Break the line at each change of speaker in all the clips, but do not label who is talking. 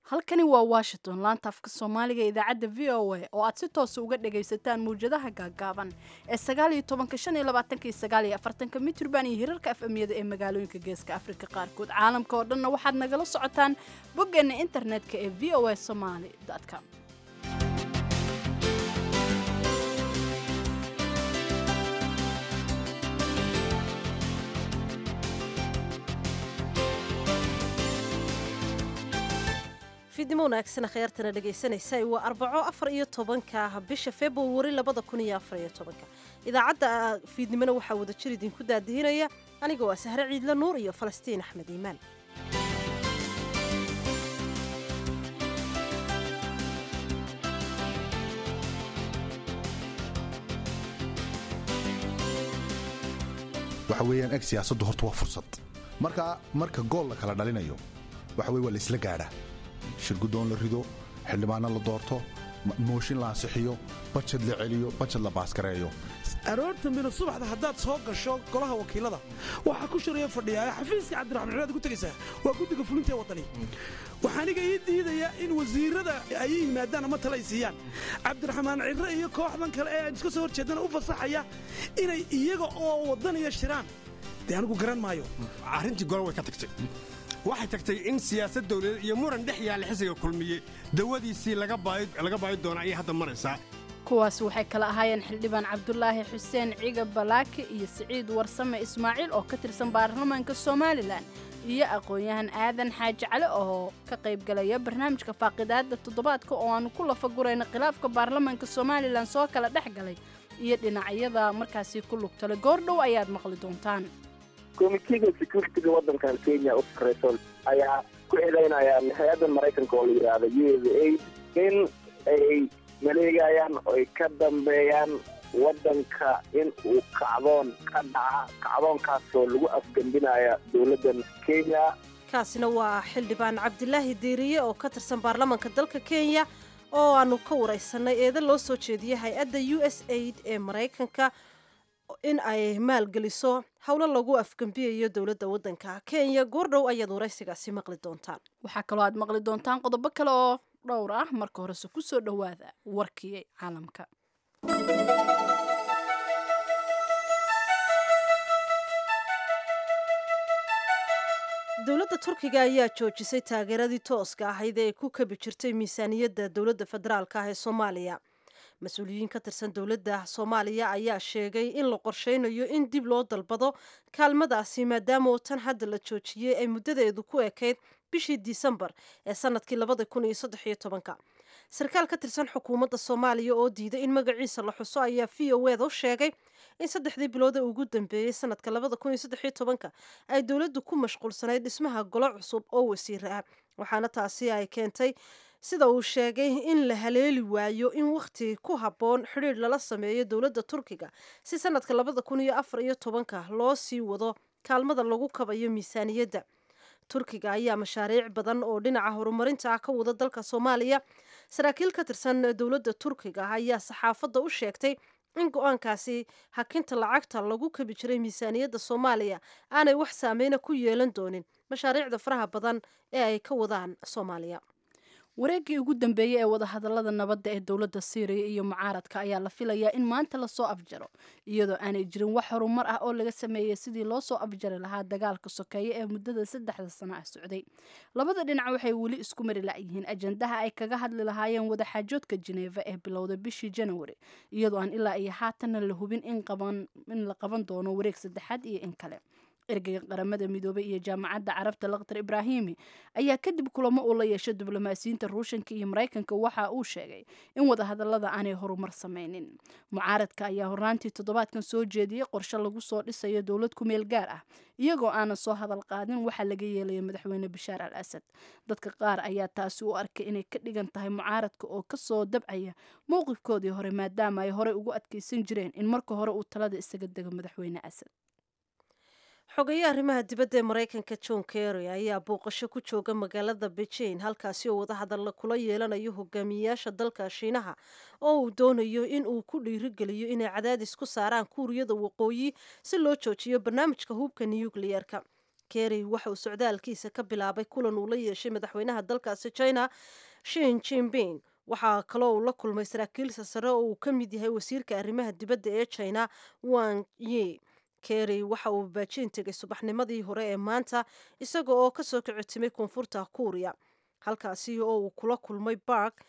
Halkani waa Washington, laanta afka Soomaaliga ee idaacadda VOA oo aad si toosa uga dhagaysataan mawjadaha gaagaaban ee 19-ka, 25-ka iyo 49-ka mitirban iyo hirarka FM-yada ee magaalooyinka Geeska Afrika qaarkood. Caalamka oo dhanna waxaad nagala socotaan boggeena internetka ee voasomali.com.
Fiidnimo wanaagsan, khyaartana dhegaysanaysa. Waa Arbaco, 14-ka bisha Februari 2014-ka. Idaacadda fiidnimona waxaa wada jir idinku daadihinaya aniga waa Sahre Ciidle Nuur iyo Falastiin Axmed Iimaan.
Waxa weeyaan, eg, siyaasaddu horta waa fursad. Marka gool la kala dhalinayo, waxa weye waa la isla gaadhaa: shirguddoon la rido, xildhibaanno la doorto, mooshin la ansixiyo, bajad la celiyo, bajad la baaskareeyo.
Aroorta mina subaxda haddaad soo gasho golaha wakiilada, waxaa ku shiraya fadhiyaa xafiiska Cabdiraxmaan Ciraad ku tegaysaa, waa guddiga fulinta ee Waddani. Waxaa aniga ii diidaya in wasiirada ay ii yimaadaan ama tala ay siiyaan Cabdiraxmaan Cirre iyo kooxdan kale ee aan iska soo hor jeedana u fasaxaya inay iyaga oo waddaniya shiraan. Dee anigu garan maayo.
Arrintii golo way ka tagtay. Waxay tagtay in siyaasad dawladeed iyo muran dhex yaalla xisiga Kulmiye dawadiisii laga baayi doona ayay hadda maraysaa.
Kuwaas waxay kala ahaayeen xildhibaan Cabdulaahi Xuseen Ciga Balaaki iyo Siciid Warsame Ismaaciil oo ka tirsan baarlamaanka Somalilan iyo aqoon-yahan Aadan Xaaji Cali oo ka qaybgalaya barnaamijka faaqidaada toddobaadka oo aanu ku lafagurayna khilaafka baarlamaanka Somalilan soo kala dhex galay iyo dhinacyada markaasi ku lugtale. Goordhow ayaad maqli doontaan.
Committee-ga security-ga waddankan Kenya u sarreyso ayaa ku eedeynayaan hay-addan Maraykanka oo la yidhaahda USAID in ay maleegayaan oo ay ka dambeeyaan waddanka in uu kacdoon ka dhaca, kacdoonkaasoo lagu afgembinaya dowladdan Kenya.
Kaasina waa xildhibaan Cabdilaahi Diiriye oo ka tirsan baarlamaanka dalka Kenya oo aanu ka waraysanay eeda loo soo jeediyey hay-adda USAID ee Maraykanka in ay maalgeliso howlo lagu afgembiyayo dowladda waddanka Kenya. Goordhow ayaad waraysigaasi maqli doontaan.
Waxaa kaloo aad maqli doontaan qodobo kale oo dhowr ah. Marka horese kusoo dhowaada warkii caalamka.
Dowladda Turkiga ayaa joojisay taageeradii tooska ahayd ee ay ku kabi jirtay miisaaniyadda dowladda federaalka ah ee Soomaaliya. Mas-uuliyiin ka tirsan dowladda Soomaaliya ayaa sheegay in la qorsheynayo in dib loo dalbado kaalmadaasi, maadaama oo tan hadda la joojiyey ay muddadeedu ku ekayd bishii Disembar ee sanadkii 2013-ka. Sarkaal ka tirsan xukuumadda Soomaaliya oo diiday in magaciisa la xuso ayaa VOA-da u sheegay in saddexdii bilood ee ugu dambeeyey sanadka 2013-ka ay dowladdu ku mashquulsanayd dhismaha golo cusub oo wasiira ah, waxaana taasi ay keentay, sida uu sheegay, in la haleeli waayo in wakhti ku habboon xidhiidh lala sameeyo dowladda Turkiga si sanadka 2014-ka loo sii wado kaalmada lagu kabayo miisaaniyadda. Turkiga ayaa mashaariic badan oo dhinaca horumarinta ah ka wada dalka Soomaaliya. Saraakiil ka tirsan dowladda Turkiga ayaa saxaafadda u sheegtay in go-aankaasi hakinta lacagta lagu kabi jiray miisaaniyadda Soomaaliya aanay wax saameyna ku yeelan doonin mashaariicda faraha badan ee ay ka wadaan Soomaaliya.
Wareeggii ugu dambeeyey ee wadahadalada nabadda ee dowladda Siiriya iyo mucaaradka ayaa la filayaa in maanta lasoo afjaro, iyadoo aanay jirin wax horumar ah oo laga sameeyey sidii loo soo afjari lahaa dagaalka sokeeye ee muddada 3-da sano ah socday. Labada dhinac waxay weli isku mari la'yihiin ajandaha ay kaga hadli lahaayeen wadaxaajoodka Jineeva ee bilowday bishii Janawari, iyadoo aan ilaa iyo haatanna la hubin in la qaban doono wareeg saddexaad iyo in kale. Ergeyga Qaramada Midoobay iyo Jaamacadda Carabta, Lakhdar Ibraahimi, ayaa kadib kulamo uu la yeeshay diblomaasiyiinta Ruushanka iyo Maraykanka waxa uu sheegay in wadahadalada aanay horumar sameynin. Mucaaradka ayaa horraantii toddobaadkan soo jeediyey qorshe lagu soo dhisayo dowlad ku meel gaar ah, iyagoo aanan soo hadal qaadin waxaa laga yeelaya madaxweyne Bashaar al Asad. Dadka qaar ayaa taasi u arkay inay ka dhigan tahay mucaaradka oo kasoo dabcaya mowqifkoodii hore, maadaama ay horey ugu adkeysan jireen in marka hore uu talada isaga dego madaxweyne Asad.
Xogaye arrimaha dibadda ee Maraykanka John Kerry ayaa booqasho ku jooga magaalada Beijing, halkaasi oo wadahadalla kula yeelanayo hogaamiyeyaasha dalka Shiinaha oo uu doonayo in uu ku dhiirigeliyo inay cadaadis ku saaraan Kuuriyada Waqooyi si loo joojiyo barnaamijka hubka nukliyeerka. Kerry waxa uu socdaalkiisa ka bilaabay kulan uu la yeeshay madaxweynaha dalkaasi China Xi Jinping. Waxaa kaloo uu la kulmay saraakiil sare oo uu ka mid yahay wasiirka arrimaha dibadda ee China Wang Yi. Kerry waxa uu Beijing tegay subaxnimadii hore ee maanta, isaga oo kasoo kicitimay Koonfurta Kuuriya, halkaasi oo uu kula kulmay Park,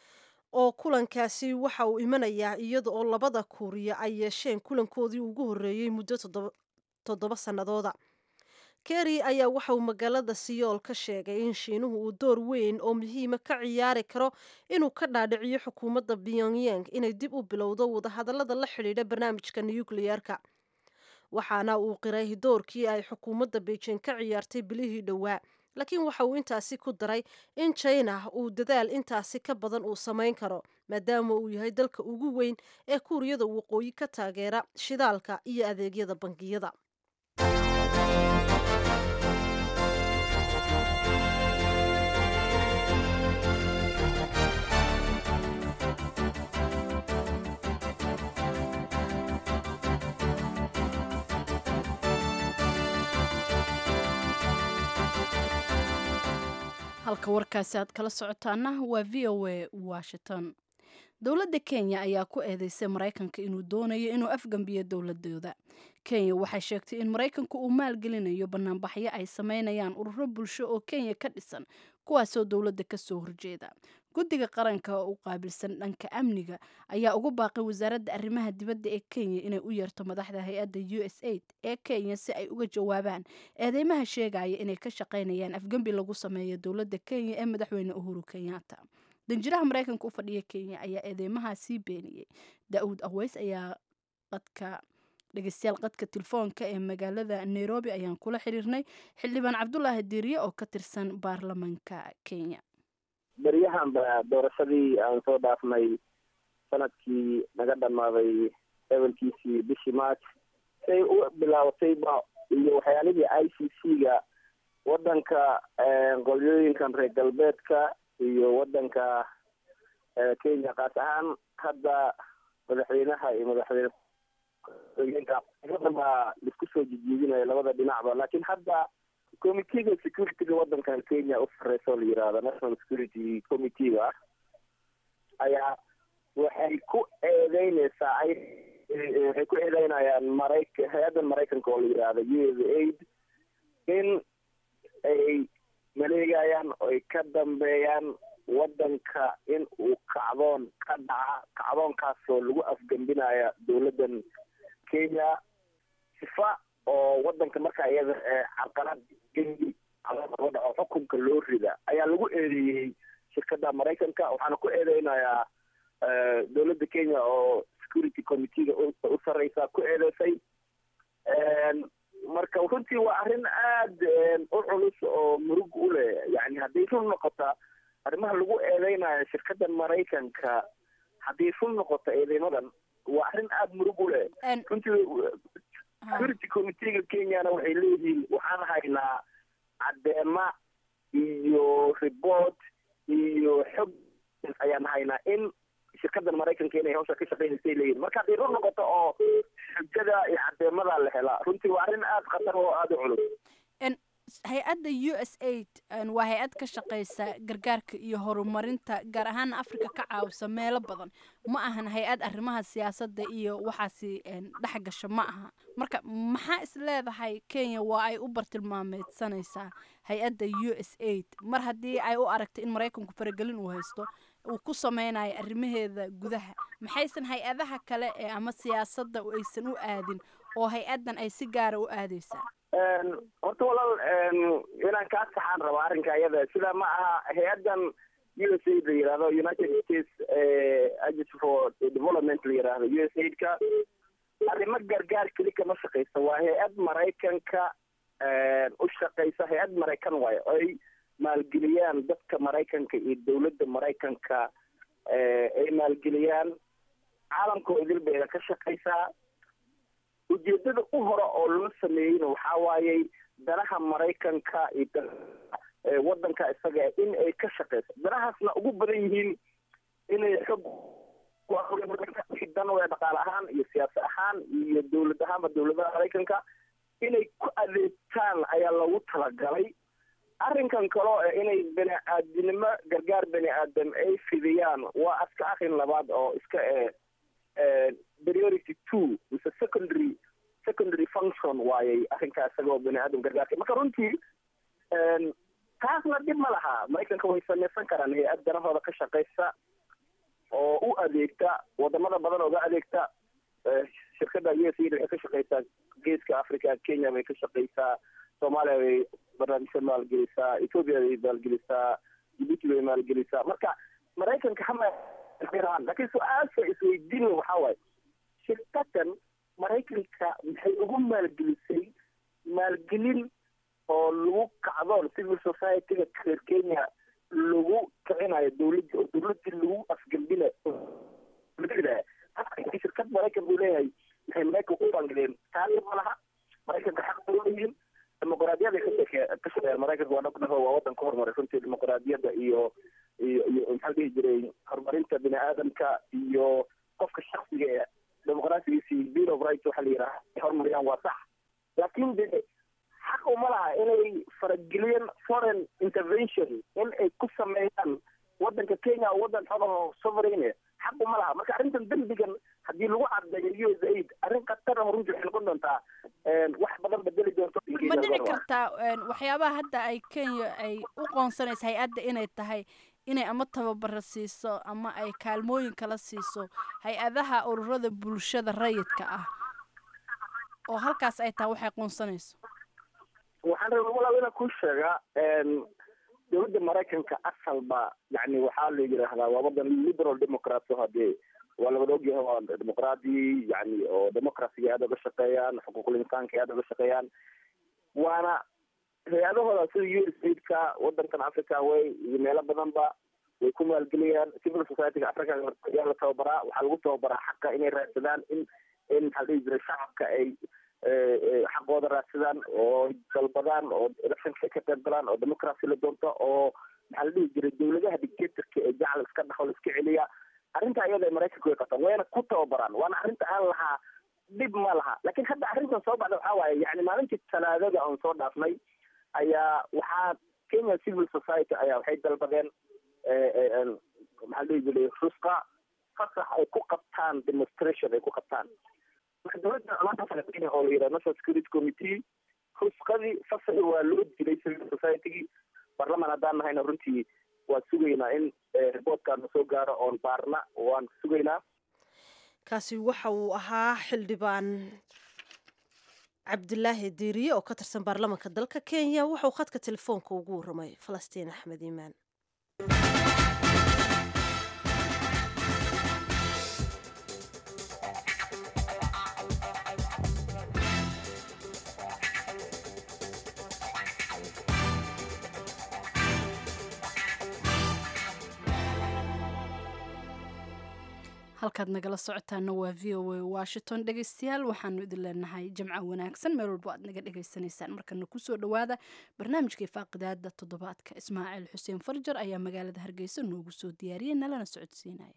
oo kulankaasi waxa uu imanayaa iyada oo labada Kuuriya ay yeesheen kulankoodii ugu horreeyey muddo 7 sannadooda. Kerry ayaa waxa uu magaalada Siyool ka sheegay in Shiinuhu uu door weyn oo muhiima ka ciyaari karo inuu ka dhaadhiciyo xukuumadda Pyongyang inay dib u bilowdo wadahadallada la xidhiidha barnaamijka nukliyeerka. Waxaana uu qiray doorkii ay xukuumadda Beijing ka ciyaartay bilihii dhowaa, laakiin waxa uu intaasi ku daray in China uu dadaal intaasi ka badan uu samayn karo, maadaama uu yahay dalka ugu weyn ee Kuuriyada Waqooyi ka taageera shidaalka iyo adeegyada bangiyada.
Halka warkaasi aad kala socotaana waa VOA Washington. Dowladda Kenya ayaa ku eedeysay Maraykanka inuu doonayo inuu afgambiyo dowladooda. Kenya waxay sheegtay in Maraykanku uu maalgelinayo banaanbaxyo ay sameynayaan ururo bulsho oo Kenya ka dhisan, kuwaasoo dowladda kasoo horjeeda. Guddiga qaranka oo u qaabilsan dhanka amniga ayaa ugu baaqay wasaaradda arrimaha dibadda ee Kenya inay u yeerto madaxda hay-adda USAID ee Kenya si ay uga jawaabaan eedeymaha sheegaya inay ka shaqeynayaan afgembi lagu sameeyo dowladda Kenya ee madaxweyne Uhuru Kenyatta. Danjiraha Maraykanka u fadhiya Kenya ayaa eedeymahaasii beeniyey. Daa'uud Aweys ayaa qadka dhegeystayaal qadka telefoonka ee magaalada Nairobi ayaan kula xiriirnay xildhibaan Cabdulaahi Diiriye oo ka tirsan baarlamaanka Kenya.
Beryahan ba doorashadii aan soo dhaafnay sanadkii naga dhamaaday ebelkiisii bishii March say u bilaabatayba iyo waxyaalihii ICC-ga wadanka, qolyooyinkan reer galbeedka iyo wadanka Kenya kaas ahaan hadda madaxweynaha iyo madaxweyne ku-xigeenka baa laisku soo jijiidinaya labada dhinacba. Laakiin hadda committeega securityga wadankan Kenya u sareysa oo la yirahdo National Security Committee-ga ayaa waxay ku eedeyneysaa, waxay ku eedeynayaan hay-addan Maraykanka oo la yirahdo USAID in ay maleegayaan oo ay ka dambeeyaan wadanka in uu kacdoon ka dhaca, kacdoonkaasoo lagu afgembinaya dowladdan Kenya, sifa oo wadanka markaa iyada carqalad gengi loo dhaco xukunka loo rida ayaa lagu eedeeyey shirkadda Maraykanka. Waxaana ku eedeynayaa dowladda Kenya oo security committee-ga u sareysa ku eedeysay. Marka runtii waa arrin aad u culus oo murug u leh. Yani hadday run noqota arrimaha lagu eedeynayo shirkadda Maraykanka, hadday run noqoto eedeymadan, waa arrin aada murug u leh runtii. Security committee-ga Kenyana waxay leeyihiin waxaan haynaa cadeema iyo report iyo xog ayaan haynaa in shirkaddan Maraykanka inay hawsha ka shaqeynaysay leeyihin. Marka hadday run noqoto oo xujada iyo cadeemada la helaa, runtii waa arrin aada khatar oo aada u culus.
Hay-adda USAID waa hay-ad ka shaqeysa gargaarka iyo horumarinta, gaar ahaana Africa ka caawisa meelo badan. Ma ahan hay-ad arrimaha siyaasadda iyo waxaasi dhex gasha ma aha. Marka maxaa is leedahay Kenya waa ay u bartilmaameedsanaysaa hay-adda USAID mar haddii ay u aragtay in Maraykanku faragelin uu haysto uu ku sameynayo arrimaheeda gudaha? Maxaysan hay-adaha kale ee ama siyaasadda aysan u aadin oo hay-addan ay si gaara u aadeysaa?
Horta walaal, inaan kaa saxaan raba arrinka iyada. Sidaa ma aha. Hay-addan USAID la yirahdo, United States Agency for Development la yirahdo, USAID-ka arrimo gargaar keli kama shaqeysa. Waa hay-ad Maraykanka u shaqeysa, hay-ad Maraykan waayo ay maalgeliyaan dadka Maraykanka iyo dowladda Maraykanka ay maalgeliyaan. Caalamka oo idil bayna ka shaqeysaa. Ujeedada u hore oo loo sameeyeyna waxaa waayey danaha Maraykanka iyo wadanka isaga in ay ka shaqeyso, danahaasna ugu badan yihiin inay xog dan dhaqaale ahaan iyo siyaasa ahaan iyo dowlad ahaanba dowladaha Maraykanka inay ku adeegto. qabtaan ayaa loogu talagalay. Arrinkan kaloo inay bani-aadinimo gargaar bani aadam ay fidiyaan waa iska arrin labaad oo iska priority 2 mise secondary function waayay arrinkaa isagoo bani aadam gargaarka. Marka runtii taasna dhib ma laha, Maraykanka way samaysan karaan hay-ad danahooda ka shaqaysa oo u adeegta wadamada badan ooga adeegta. Shirkadda USAID waxay ka shaqaysaa Geeska Africa, Kenya bay ka shaqaysaa, Soomaaliya bay barnaamijka maalgelisaa, Ethiopia bay maalgelisaa, Djibouti bay maalgelisaa. Marka Maraykanka hama, laakiin su-aasha isweydiin waxaa waaye, shirkadan Maraykanka maxay ugu maalgelisay maalgelin oo lagu kacdoon civil society-ga reer Kenya lagu kicinayo dowladda oo dowladdii lagu afgembinayo? Shirkad Maraykan buu leeyahay, maxay Maraykanka u bangeleen? Taali ma laha, Maraykanka xaq bay leeyihiin, dimuqraadiyada ka shaqeeyaan. Maraykanka waa dhaqdhaqo, waa wadan ka horumaray runtii dimuqraadiyadda iyo iyo iyo maxaa la dhihi jiray horumarinta bini aadamka iyo qofka shaksiga ee dimuqraasigiisi, Bill of Rights waxa la yidhaha ay horumariyaan, waa sax. Laakiin de xaq uma laha inay farageliyeen foreign intervention in ay ku sameeyaan wadanka Kenya oo wadan xor oo sovereign, xaq uma laha. Marka arrintan dembigan haddii lagu cadeeyo USAID, arrin khatar ah runtii waxay noqon doontaa, wax badan bedeli doonto.
Ma dhici kartaa waxyaabaha hadda ay Kenya ay u qoonsanaysa hay-adda inay tahay inay ama tababaro siiso ama ay kaalmooyin kala siiso hay-adaha ururada bulshada rayidka ah, oo halkaas ay tahay waxay qoonsanayso?
Waxaan rabaa walaal inaan kuu sheegaa, dowladda Maraykanka asalba yani waxaa la yidhaahdaa waa wadan liberal democrat oo hadee waa lawada ogyahay, waa dimuqraadi yani oo democracyga aada uga shaqeeyaan, xuquuqul insaanka aada uga shaqeeyaan, waana hay-adahooda sida USAID-ka wadankan Africa way iyo meelo badanba way ku maalgeliyaan. Civil society-ga Africa ayaa la tababaraa, waxaa lagu tababaraa xaqa inay raadsadaan, in maxaa la dhihi jiray shacabka ay xaqooda raadsadaan oo dalbadaan oo electionka ka qayb galaan oo democracy la doonto oo maxaa la dhihi jiray dowladaha dictatorka ee jacal iska dhaxo la iska celiya. Arrinta iyada Maraykanka way qabtaan, wayna ku tababaraan, waana arrinta aan lahaa dhib ma laha. Laakiin hadda arrintan soo baxda waxaa waaye, yani maalintii Talaadada oon soo dhaafnay ayaa waxaa Kenya civil society ayaa waxay dalbadeen maxaa la dhihi jiray rusqa, fasax ay ku qabtaan demonstration ay ku qabtaan. Marka dowladda Kenya oo la yidhaha National Security Committee rusqadii fasaxi waa loo dilay civil society-gii. Barlaman haddaan nahayna runtii waan sugaynaa in reportkaana soo gaaro oon baarna, waan sugaynaa.
Kaasi waxa uu ahaa xildhibaan Cabdilaahi Diiriye oo ka tirsan baarlamaanka dalka Kenya. Wuxuu khadka telefoonka ugu waramay Falastiin Axmed Iimaan.
Halkaad nagala socotaana waa VOA Washington. Dhegeystayaal, waxaanu idin leenahay jamco wanaagsan meel walbo aad naga dhegeysanaysaan. Markana kusoo dhowaada barnaamijkii faaqidaada toddobaadka. Ismaaciil Xuseen Farjar ayaa magaalada Hargeysa noogu soo diyaariyey, nalana socodsiinaya.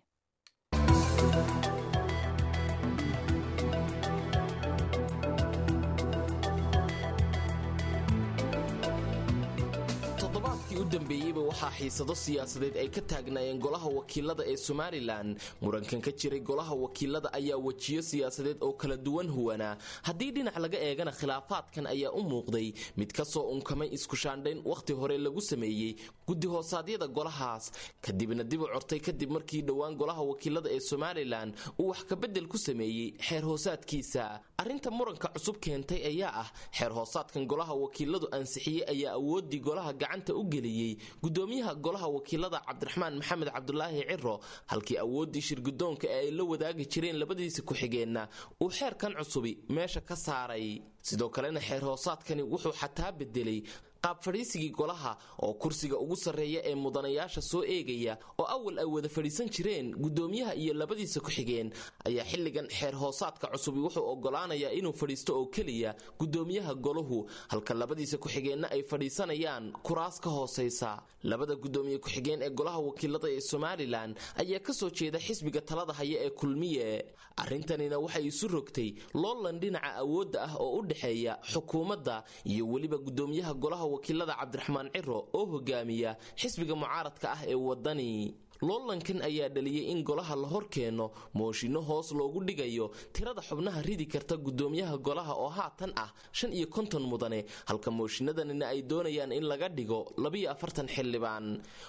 Toddobaadkii u dambeeyeyba waxaa xiisado siyaasadeed ay ka taagnaayeen golaha wakiilada ee Somalilan. Murankan ka jiray golaha wakiilada ayaa wejiyo siyaasadeed oo kala duwan huwanaa. Haddii dhinac laga eegana, khilaafaadkan ayaa u muuqday mid ka soo unkamay isku shaandhayn wakhti hore lagu sameeyey guddi hoosaadyada golahaas, kadibna dib u cortay kadib markii dhowaan golaha wakiilada ee Somalilan uu wax kabedel ku sameeyey xeer hoosaadkiisa. Arrinta muranka cusub keentay ayaa ah xeer hoosaadkan golaha wakiiladu ansixiyey ayaa awooddii golaha gacanta u geliyey gudoomiyaha golaha wakiilada Cabdiraxmaan Maxamed Cabdulaahi Ciro, halkii awooddii shirgudoonka ee ay la wadaagi jireen labadiisa ku-xigeenna uu xeerkan cusubi meesha ka saaray. Sidoo kalena xeer hoosaadkani wuxuu xataa bedelay qaab fadhiisigii golaha, oo kursiga ugu sarreeya ee mudanayaasha soo eegaya oo awal ay wada fadhiisan jireen gudoomiyaha iyo labadiisa ku-xigeen ayaa xilligan xeer hoosaadka cusubi wuxuu ogolaanayaa inuu fadhiisto oo keliya gudoomiyaha golahu, halka labadiisa ku-xigeenna ay fadhiisanayaan kuraas ka hoosaysa. Labada gudoomiye ku-xigeen ee golaha wakiilada ee Somalilan ayaa kasoo jeeda xisbiga talada haya ee Kulmiye. Arrintanina waxay isu rogtay loolan dhinaca awoodda ah oo u dhexeeya xukuumadda iyo weliba gudoomiyaha golaha wakiilada Cabdiraxmaan Ciro oo hogaamiya xisbiga mucaaradka ah ee Wadani. Loolankan ayaa dhaliyey in golaha la hor keeno mooshinno hoos loogu dhigayo tirada xubnaha ridi karta gudoomiyaha golaha oo haatan ah 55 mudane, halka mooshinnadanina ay doonayaan in laga dhigo 42 xildhibaan.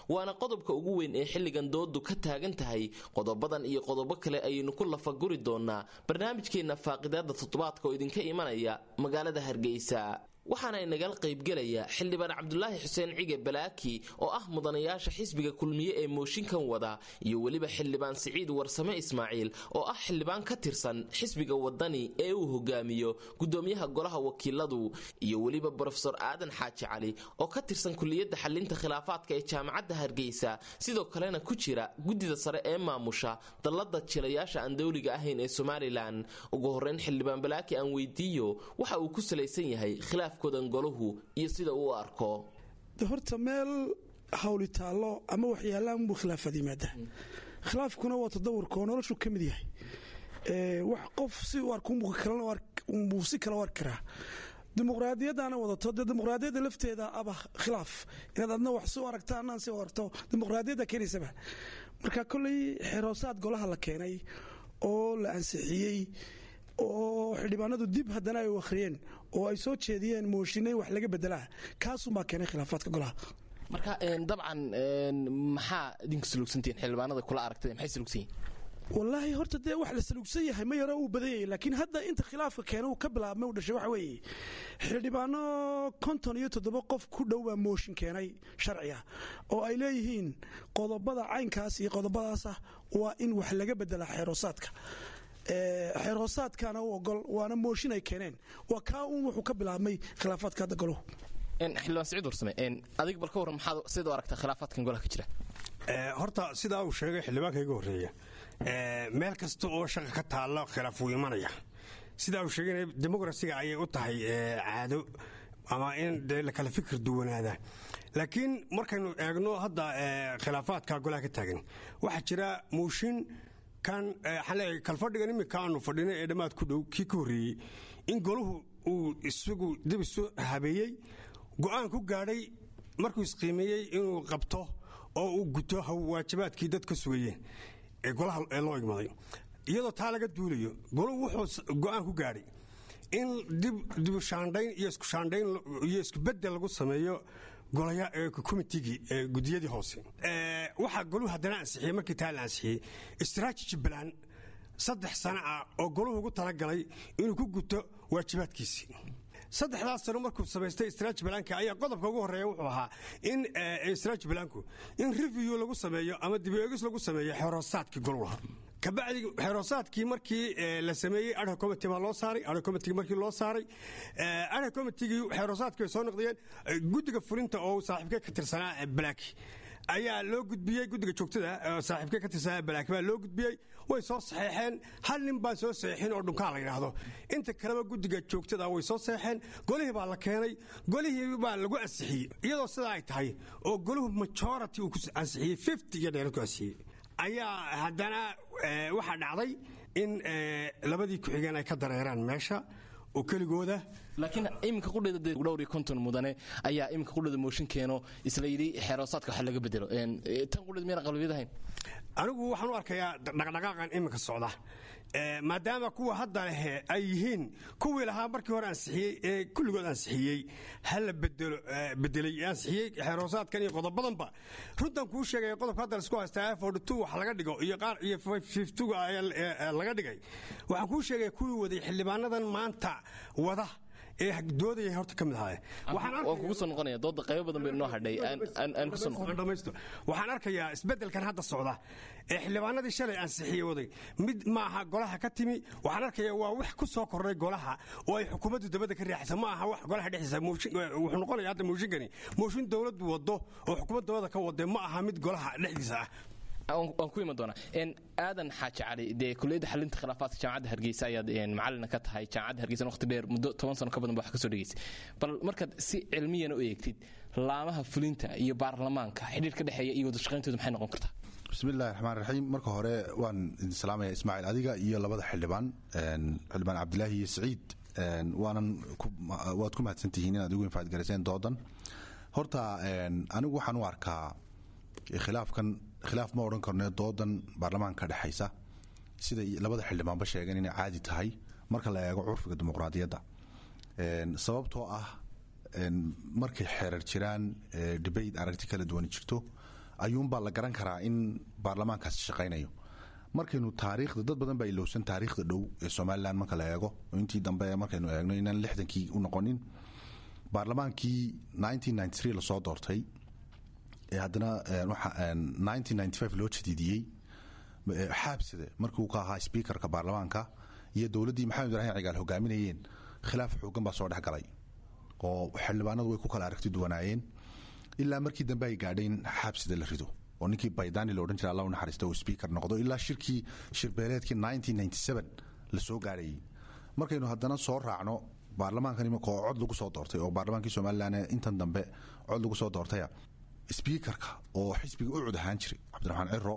Waana qodobka ugu weyn ee xilligan doodu ka taagan tahay. Qodobadan iyo qodobo kale ayaynu ku lafaguri doonaa barnaamijkeenna faaqidaada toddobaadka oo idinka imanaya magaalada Hargeysa. Waxaana inagala qaybgelaya xildhibaan Cabdulaahi Xuseen Cige Balaaki oo ah mudanayaasha xisbiga Kulmiye ee mooshinkan wada, iyo weliba xildhibaan Siciid Warsame Ismaaciil oo ah xildhibaan ka tirsan xisbiga Wadani ee uu hogaamiyo gudoomiyaha golaha wakiiladu, iyo weliba Brofesor Aadan Xaaji Cali oo ka tirsan kuliyadda xalinta khilaafaadka ee Jaamacadda Hargeysa, sidoo kalena ku jira guddida sare ee maamusha dallada jilayaasha aan dowliga ahayn ee Somalilan. Ugu horreyn xildhibaan Balaaki aan weydiiyo waxa uu ku salaysan yahay khilaaf golahu iyo sida uu arko.
Horta meel hawli taallo ama waxyaalaan buu khilaafaad yimaada. Khilaafkuna waa tadawurka oo noloshu ka mid yahay. Wax qof si u arko unbuu si kale u arki karaa. Dimuqraadiyaddaana wadato, dee dimuqraadiyadda lafteeda aba khilaaf, inaad adna wax si u aragta annaan si u aragto, dimuqraadiyadda keenaysaba. Marka kolley xeroosaad golaha la keenay oo la ansixiyey oo xildhibaanadu dib haddana ay u akhriyeen oo ay soo jeediyeen mooshinay wax laga bedelaa, kaasunbaa keenay khilaafaadka golaha.
Marka dabcan maxaa idinku saluugsantihiin xildhibaanada kula aragtay, maxay saluugsan yihiin?
Wallaahi horta dee wax la saluugsan yahay ma yaro, uu badan yahay, laakiin hadda inta khilaafka keena uu ka bilaabmay uu dhashay waxa weeye xildhibaano 57 qof ku dhow baa mooshin keenay sharciga oo ay leeyihiin qodobada caynkaas iyo qodobadaasah waa in wax laga bedelaa xeeroosaadka. Xeerhoosaadkaana u ogol, waana mooshin ay keeneen. Waa kaa uun wuxuu ka bilaabmay khilaafaadka hadda goluhu.
Xildhibaan Siciid Warsame, adig bal ka warran, maxaad sida u aragtaa khilaafaadkan golaha ka jira?
Horta sidaa uu sheegay xildhibaanka iga horreeya, meel kasta oo shaqa ka taalla khilaaf wuu imanaya. Sidaa uu sheegayna dimuqrasiga ayay u tahay caado ama in dee la kala fikir duwanaada. Laakiin markaynu eegno hadda khilaafaadka golaha ka taagan, waxaa jira mooshin kan kalfadhigan iminka aanu fadhinay ee dhammaad ku dhow kii ka horreeyey in golahu uu isagu dib isu habeeyey, go'aan ku gaadhay markuu isqiimeeyey inuu qabto oo uu guto waajibaadkii dadka sugayeen ee golaha ee loo igmaday. Iyadoo taa laga duulayo, golahu wuxuu go'aan ku gaadhay in dibu shaandhayn iyo isku shaandhayn iyo isku beddel lagu sameeyo golaya komitigii gudiyadii hoose. Waxaa goluhu haddana ansixiyey, markii taa la ansixiyey, strategy plan 3 sano ah oo goluhu ugu talagalay inuu ku guto waajibaadkiisii saddexdaas sano. Markuu samaystay strategy planka ayaa qodobka ugu horreeya wuxuu ahaa in strategy planku in review lagu sameeyo ama dib u eegis lagu sameeyo xeroosaadkii goluhu lahaa. Kabacdi xeroosaadkii markii la sameeyey, ad hoc committee baa loo saaray. Ad hoc committee markii loo saaray, ad hoc committee xeroosaadkii bay soo noqdeen. Guddiga fulinta oo saaxiibkee ka tirsanaa Black ayaa loo gudbiyey. Guddiga joogtada saaxiibkee ka tirsanaa Black baa loo gudbiyey, way soo saxeexeen. Hal nin baan soo saxeexin oo Dhunkaa la yidhaahdo. Inta kaleba guddiga joogtada way soo saxeexeen. Golihii baa la keenay, golihii baa lagu ansixiyey. Iyadoo sidaa ay tahay oo goluhu majority uu ku ansixiyey, 50 iyo dheerad ku ansixiyey, ayaa haddana waxaa dhacday in labadii ku-xigeen ay ka dareeraan meesha oo keligooda.
Laakiin iminka qudheeda dee dhowr iyo konton mudane ayaa iminka qudheeda mooshin keeno isla yidhi xeeroosaadka wax laga bedelo. Tan qudheeda miyaan qalbiyad ahayn?
Anigu waxaan u arkayaa dhaqdhaqaaqan iminka socda, maadaama kuwa hadda lehe ay yihiin kuwii lahaa markii hore ansixiyey ee kulligood ansixiyey hala bedelo bedelay ansixiyey xeeroosaadkan iyo qodobadanba. Runtan kuu sheegaya, qodobka hadda laisku haystaa 42 wax laga dhigo iyo qaar iyo 52 laga dhigay, waxaan kuu sheegaya kuwii waday xildhibaanadan maanta wada ee doodaya horta ka mid ahaay.
Waan kugu soo noqonaya, dooda qaybo badan bay noo hadhay, aan ku soo noqon.
Waxaan arkayaa isbeddelkan hadda socda ee xildhibaanadii shalay ansixiyey waday mid maaha golaha ka timi. Waxaan arkayaa waa wax ku soo kordhay golaha oo ay xukuumaddu dabadda ka riixaysa, ma aha wax golaha dhexdiisa. Wuxuu noqonaya hadda mooshinkani mooshin dowladdu wado oo xukuumad dabada ka wade, ma aha mid golaha dhexdiisa ah.
Waan ku iman doonaa. Aadan Xaaji Cali, dee kuliyadda xalinta khilaafaadka Jaamacadda Hargeysa ayaad macalina ka tahay. Jaamacadda Hargeysa waqti dheer, muddo 10 sano ka badan ba wax ka soo dhegeysay. Bal markaad si cilmiyana u eegtid laamaha fulinta iyo baarlamaanka, xidhiir ka dhexeeya iyo wada shaqayntooda maxay noqon kartaa?
Bismillahi raxmaan raxiim. Marka hore waan idin salaamaya, Ismaaciil, adiga iyo labada xildhibaan, xildhibaan Cabdilaahi iyo Siciid. Waanan waad ku mahadsantihiin inaad igu infaad garayseen doodan. Horta anigu waxaan u arkaa khilaafkan khilaaf ma odhan karno, doodan baarlamaanka ka dhexaysa, siday labada xildhibaanba sheegeen, inay caadi tahay marka la eego curfiga dimuqraadiyadda, sababtoo ah markay xeerar jiraan, debate, aragti kala duwan jirto, ayuunbaa la garan karaa in baarlamaankaasi shaqaynayo. Markaynu taariikhda, dad badan baa ilowsan taariikhda dhow ee Somaliland marka la eego, intii dambe markaynu eegno, inaan 60kii u noqonin. Baarlamaankii lasoo doortay ee haddana loo jadiidiyey, Xaabsade markii uu ka ahaa speakerka baarlamaanka iyo dowladdii Maxamed Ibrahim Cigaal hogaaminayeen, khilaaf xoogan baa soo dhex galay oo xildhibaanadu way ku kala aragti duwanaayeen, ilaa markii dambe ay gaadheen Xaabsade la rido oo ninkii Baydani la odhan jira, Allah u naxariista, uu speaker noqdo, ilaa shirkii shirbeeleedkii la soo gaadhayay. Markaynu haddana soo raacno baarlamaankan imika oo cod lagu soo doortay, oo baarlamaankii Somaliland intan dambe cod lagu soo doortaya, speakerka oo xisbiga UCID ahaan jiray, Cabdiraxmaan Ciro,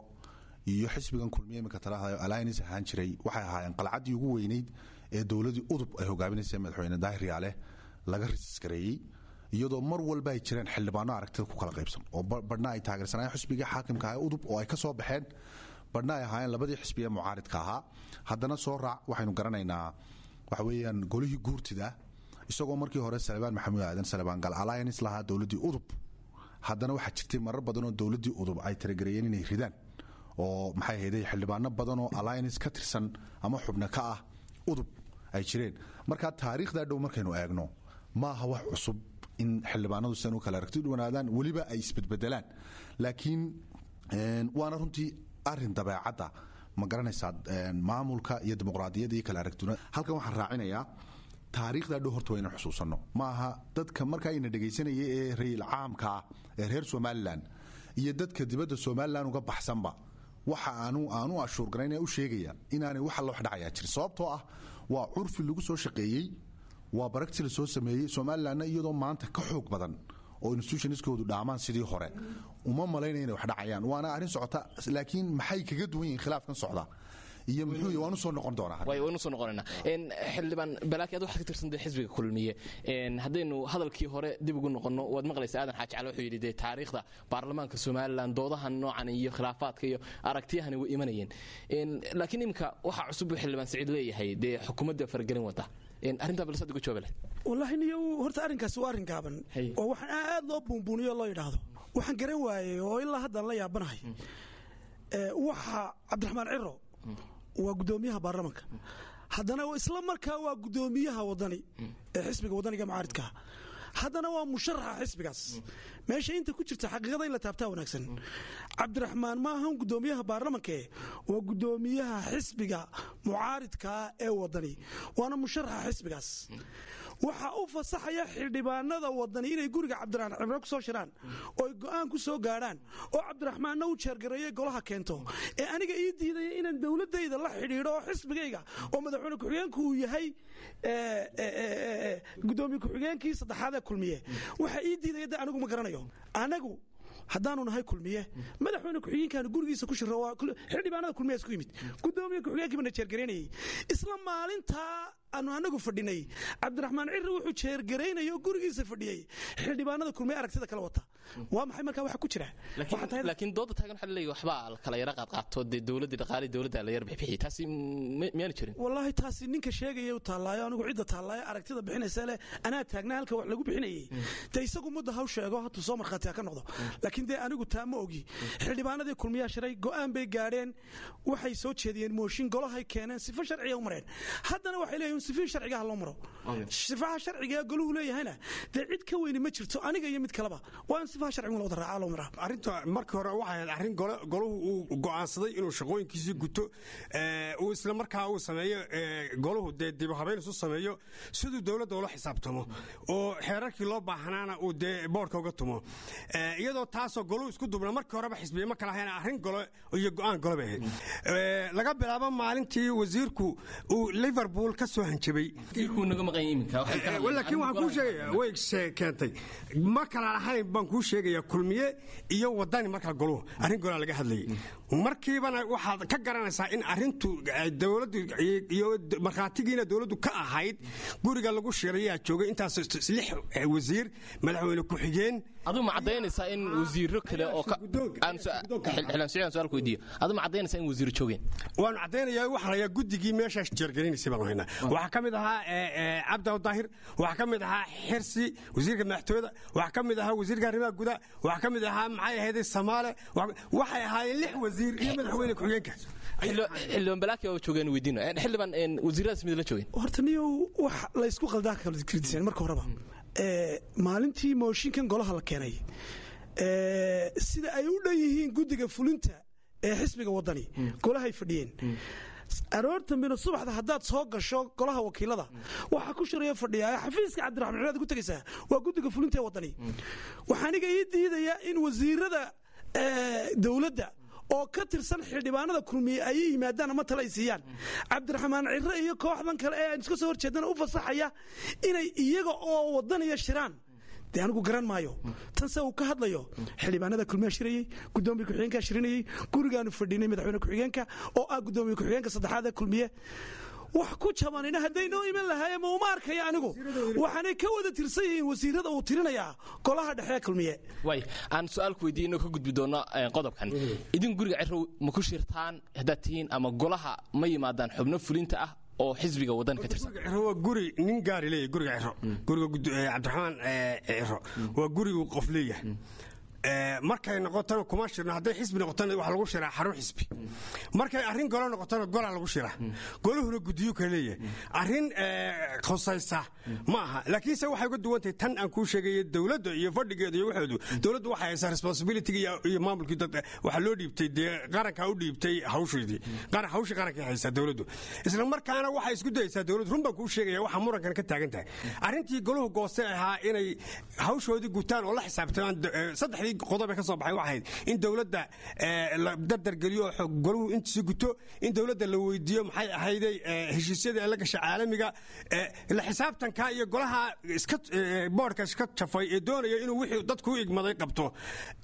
iyo xisbigan Kulmiye iminka talahadayo alliance ahaan jiray, waxay ahaayeen qalcaddii ugu weyneyd ee dowladdii UDUB ay hogaaminaysay madaxweyne Daahir Yaale laga resiskareeyey, iyadoo mar walba ay jireen xildhibaano aragtida ku kala qaybsan oo badhna ay taageersanayeen xisbiga xaakimka ah UDUB oo ay ka soo baxeen, badhna ay ahaayeen labadii xisbi ee mucaaridka ahaa. Haddana soo raac, waxaynu garanaynaa waxa weeyaan golihii guurtida, isagoo markii hore Salebaan Maxamuud Aadan, Salebaan Gal, alliance lahaa dowladdii UDUB, haddana waxaa jirtay marar badan oo dowladdii UDUB ay taragareeyeen inay ridaan, oo maxay ahayday xildhibaano badan oo alliance ka tirsan ama xubno ka ah UDUB ay jireen. Marka taariikhdaa dhow markaynu eegno, maaha wax cusub in xildhibaanadu sidan u kala aragti duwanaadaan, weliba ay isbedbedelaan. Laakiin waana runtii arin dabeecadda, ma garanaysaa, maamulka iyo dimuqraadiyadda iyo kala aragtiduna. Halkan waxaan raacinayaa, taariikhdaa dhow horta waa inaan xusuusanno. Maaha dadka markaa ina dhegaysanaya ee rayil caamka ah ee reer Somaliland iyo dadka dibadda Somaliland uga baxsanba, waxa aanu ashuurgaraynaya u sheegaya inaanay wax alla wax dhacayaa jirin, sababtoo ah waa curfi lagu soo shaqeeyey, waa baragti la soo sameeyey. Somalilandna iyadoo maanta ka xoog badan oo institutionskoodu dhaamaan sidii hore, uma malaynaya inay wax dhacayaan. Waana arrin socota, laakiin maxay kaga duwan yihiin khilaafkan socda iyo muxuu, waan usoo noqon doonaa.
Waynu soo noqonaynaa. Xildhibaan Balaaki, ad waxaad ka tirsantay xisbiga Kulmiye. Haddaynu hadalkii hore dib ugu noqonno, waad maqlaysaa Aadan Xaaji Cali wuxuu yidhi dee taariikhda baarlamaanka Somaliland doodahan noocan iyo khilaafaadka iyo aragtiyahani way imanayeen, laakiin iminka waxaa cusub buu xildhibaan Saciid leeyahay dee xukuumadda faragelin wata. Arrintaa balse uga jawaabe leh.
Wallaahi niyo, horta arrinkaasi waa arrin gaaban oo waxaan aad loo buunbuuniyo loo yidhaahdo. Waxaan garan waayey oo ilaa haddaan la yaabanahay, waxa Cabdiraxmaan Ciro waa guddoomiyaha baarlamanka, haddana isla markaa waa guddoomiyaha Wadani ee xisbiga Wadaniga mucaaridkaa, haddana waa musharaxa xisbigaas. Meesha inta ku jirta xaqiiqada in la taabtaa wanaagsan. Cabdiraxmaan ma ahan guddoomiyaha baarlamankae, waa guddoomiyaha xisbiga mucaaridkaa ee Wadani, waana musharaxa xisbigaas. Waxaa u fasaxaya xildhibaanada Wadani inay guriga Cabdiraxmaan Cimro ku soo shiraan oo ay go'aan ku soo gaadhaan, oo Cabdiraxmaanna u jeergareeyay golaha keento, ee aniga ii diidaya inaan dowladayda la xidhiidho oo xisbigayga oo madaxweyne ku-xigeenku uu yahay gudoomiye ku-xigeenkii saddexaad ee Kulmiye, waxa ii diidaya de anigu ma garanayo. Anagu haddaanu nahay Kulmiye, madaxweyne ku-xigeenkaanu gurigiisa ku shiro, xildhibaanada Kulmiye isku yimid, gudoomiye ku-xigeenkii bana jeergaraynayay. Isla maalintaa aanu anagu fadhinay, Cabdiraxmaan Cirri wuxuu jeergaraynayay oo gurigiisa fadhiyey xildhibaanada Kulmiye aragtida kala wata. Waa maxay markaa waxa ku jira?
Laakiin dooda taagan waxaa laleeyahay waxbaa la kala yara qaadqaato, dee dowladdii dhaqaalii dowladda la yar bixbixiyey, taasi miyaana jirin?
Wallaahi taasi ninka sheegaya u taallaayo, anigu cidda taallaayo aragtida bixinaysa leh anaa taagnaa halka wax lagu bixinayay, dee isagu mudda haw sheego, hatuu soo markhaati ha ka noqdo. Laakiin dee anigu taa ma ogi. Xildhibaanadii Kulmiyaa shiray, go'aan bay gaadheen, waxay soo jeediyeen mooshin, golahay keeneen, sifo sharciga u mareen. Haddana waxay leeyihin sifihii sharcigaha loo maro. Sifaha sharciga goluhu leeyahayna dee cid ka weyni ma jirto, aniga iyo mid kaleba, waa in sifaha sharcigu la wada raacaa loo maraa.
Arrinta markii hore waxay ahayd arrin golahu uu go'aansaday inuu shaqooyinkiisii guto, uu isla markaa uu sameeyo golahu dee dib u habeyn isu sameeyo siduu dowladda ula xisaabtamo oo xeerarkii loo baahnaana uu dee boodhka uga tumo, iyadoo taasoo golahu isku dubna. Markii horeba xisbiye ma kala ahayn, arrin golo iyo go'aan golo bay ahayd. Laga bilaabo maalintii wasiirku uu Liverpool ka soo hanjabay. Laakiin waxaan kuu sheegaya way keentay ma kala lahayn baan kuu sheegaya Kulmiye iyo Wadani. Markaa goluhu arrin golaa laga hadlayay, markiibana waxaad ka garanaysaa in arrintu dowladdu iyo markhaatigiina dowladdu ka ahayd. Guriga lagu shirayaa joogay intaas lix wasiir, madaxweyne ku-xigeen.
Aduu ma caddaynaysaa in wasiiro kale oo xildhibaan Siciid, su'aal ku weydiiyo, aduu ma caddaynaysaa in wasiiro joogeen?
Waanu caddaynayaa. Waxaan hayaa guddigii meeshaas jeergarinaysay baanu haynaa. Waxaa ka mid ahaa Cabdi Daahir, waxaa ka mid ahaa Xirsi wasiirka madaxtooyada, waxaa ka mid ahaa wasiirka arrimaha gudaha, waxaa ka mid ahaa maxay ahayd Samaale. Waxay ahaayeen lix wasiir iyo madaxweyne ku-xigeenka.
Xildhibaan Balaaki oo joogeen weydiino. Xildhibaan, wasiiradaas mid la joogeen?
Horta niyow, wax laysku qaldaa kala kridiseen. Marka horeba maalintii mooshinkan golaha la keenay, sida ay u dhan yihiin guddiga fulinta ee xisbiga Wadani golahay fadhiyeen. Aroortan bino subaxda haddaad soo gasho golaha wakiilada, waxaa ku shiraya fadhiyaa xafiiska Cabdiraxmaan Ciraad ku tegaysaa waa guddiga fulinta ee Wadani. Waxaa aniga ii diidaya in wasiirada dowladda oo ka tirsan xildhibaanada Kulmiye ay yimaadaan ama tale ay siiyaan Cabdiraxmaan Ciro iyo kooxdan kale ee aan iska soo horjeedana u fasaxaya inay iyaga oo Wadaniya shiraan. Dee anigu garan maayo tan se uu ka hadlayo. Xildhibaanada Kulmiyaa shirayey, gudoomiye ku-xigeenkaa shirinayey, gurigaanu fadhinay madaxweyne ku-xigeenka oo ah gudoomiye ku-xigeenka saddexaad ee Kulmiye. Wax ku jabanina hadday noo iman lahaayeen ma uma arkaya anigu. Waxaanay ka wada tirsan yihiin wasiirada uu tirinayaa golaha dhexe Kulmiye.
Way aan su-aal ku weydiiye inoo ka gudbi doono qodobkan. Idin guriga Cirow ma ku shirtaan haddaad tihiin, ama golaha ma yimaadaan xubno fulinta ah oo xisbiga Waddan ka tirsan?
Ciro waa guri nin gaari leeyahy. Guriga Ciro, guriga Cabdiraxmaan Ciro waa gurigu qof leeyahay. Markay noqotona kuma shirno. Hadday xisbi noqotona waxaa lagu shiraa xarun xisbi. Markay arrin golo noqotona golaa lagu shiraa, goluhuna guddiyo kale leeyahay. Arrin khusaysa ma aha. Laakiinse waxay uga duwan tahay tan aan kuu sheegaya dowladda iyo fadhigeeda iyo waxoodu. Dowladdu waxay haysaa responsibility iyo maamulkii dad waxaa loo dhiibtay, dee qarankaa u dhiibtay hawsheedii, hawshii qarankay haysaa dowladdu. Isla markaana waxay isku dayaysaa dowladdu, run baan kuu sheegaya, waxa murankan ka taagan tahay arrintii goluhu gooste ahaa inay hawshoodii gutaan oo la xisaabtamaan. Saddexdii qodob ee ka soo baxay waxay ahayd in dowladda la dardargeliyo oo goluhu intiisi guto, in dowladda la weydiiyo maxay ahayday heshiisyadii ay la gashay caalamiga, la xisaabtanka iyo golaha iska boodhka iska jafay ee doonaya inuu wixii dadku u igmaday qabto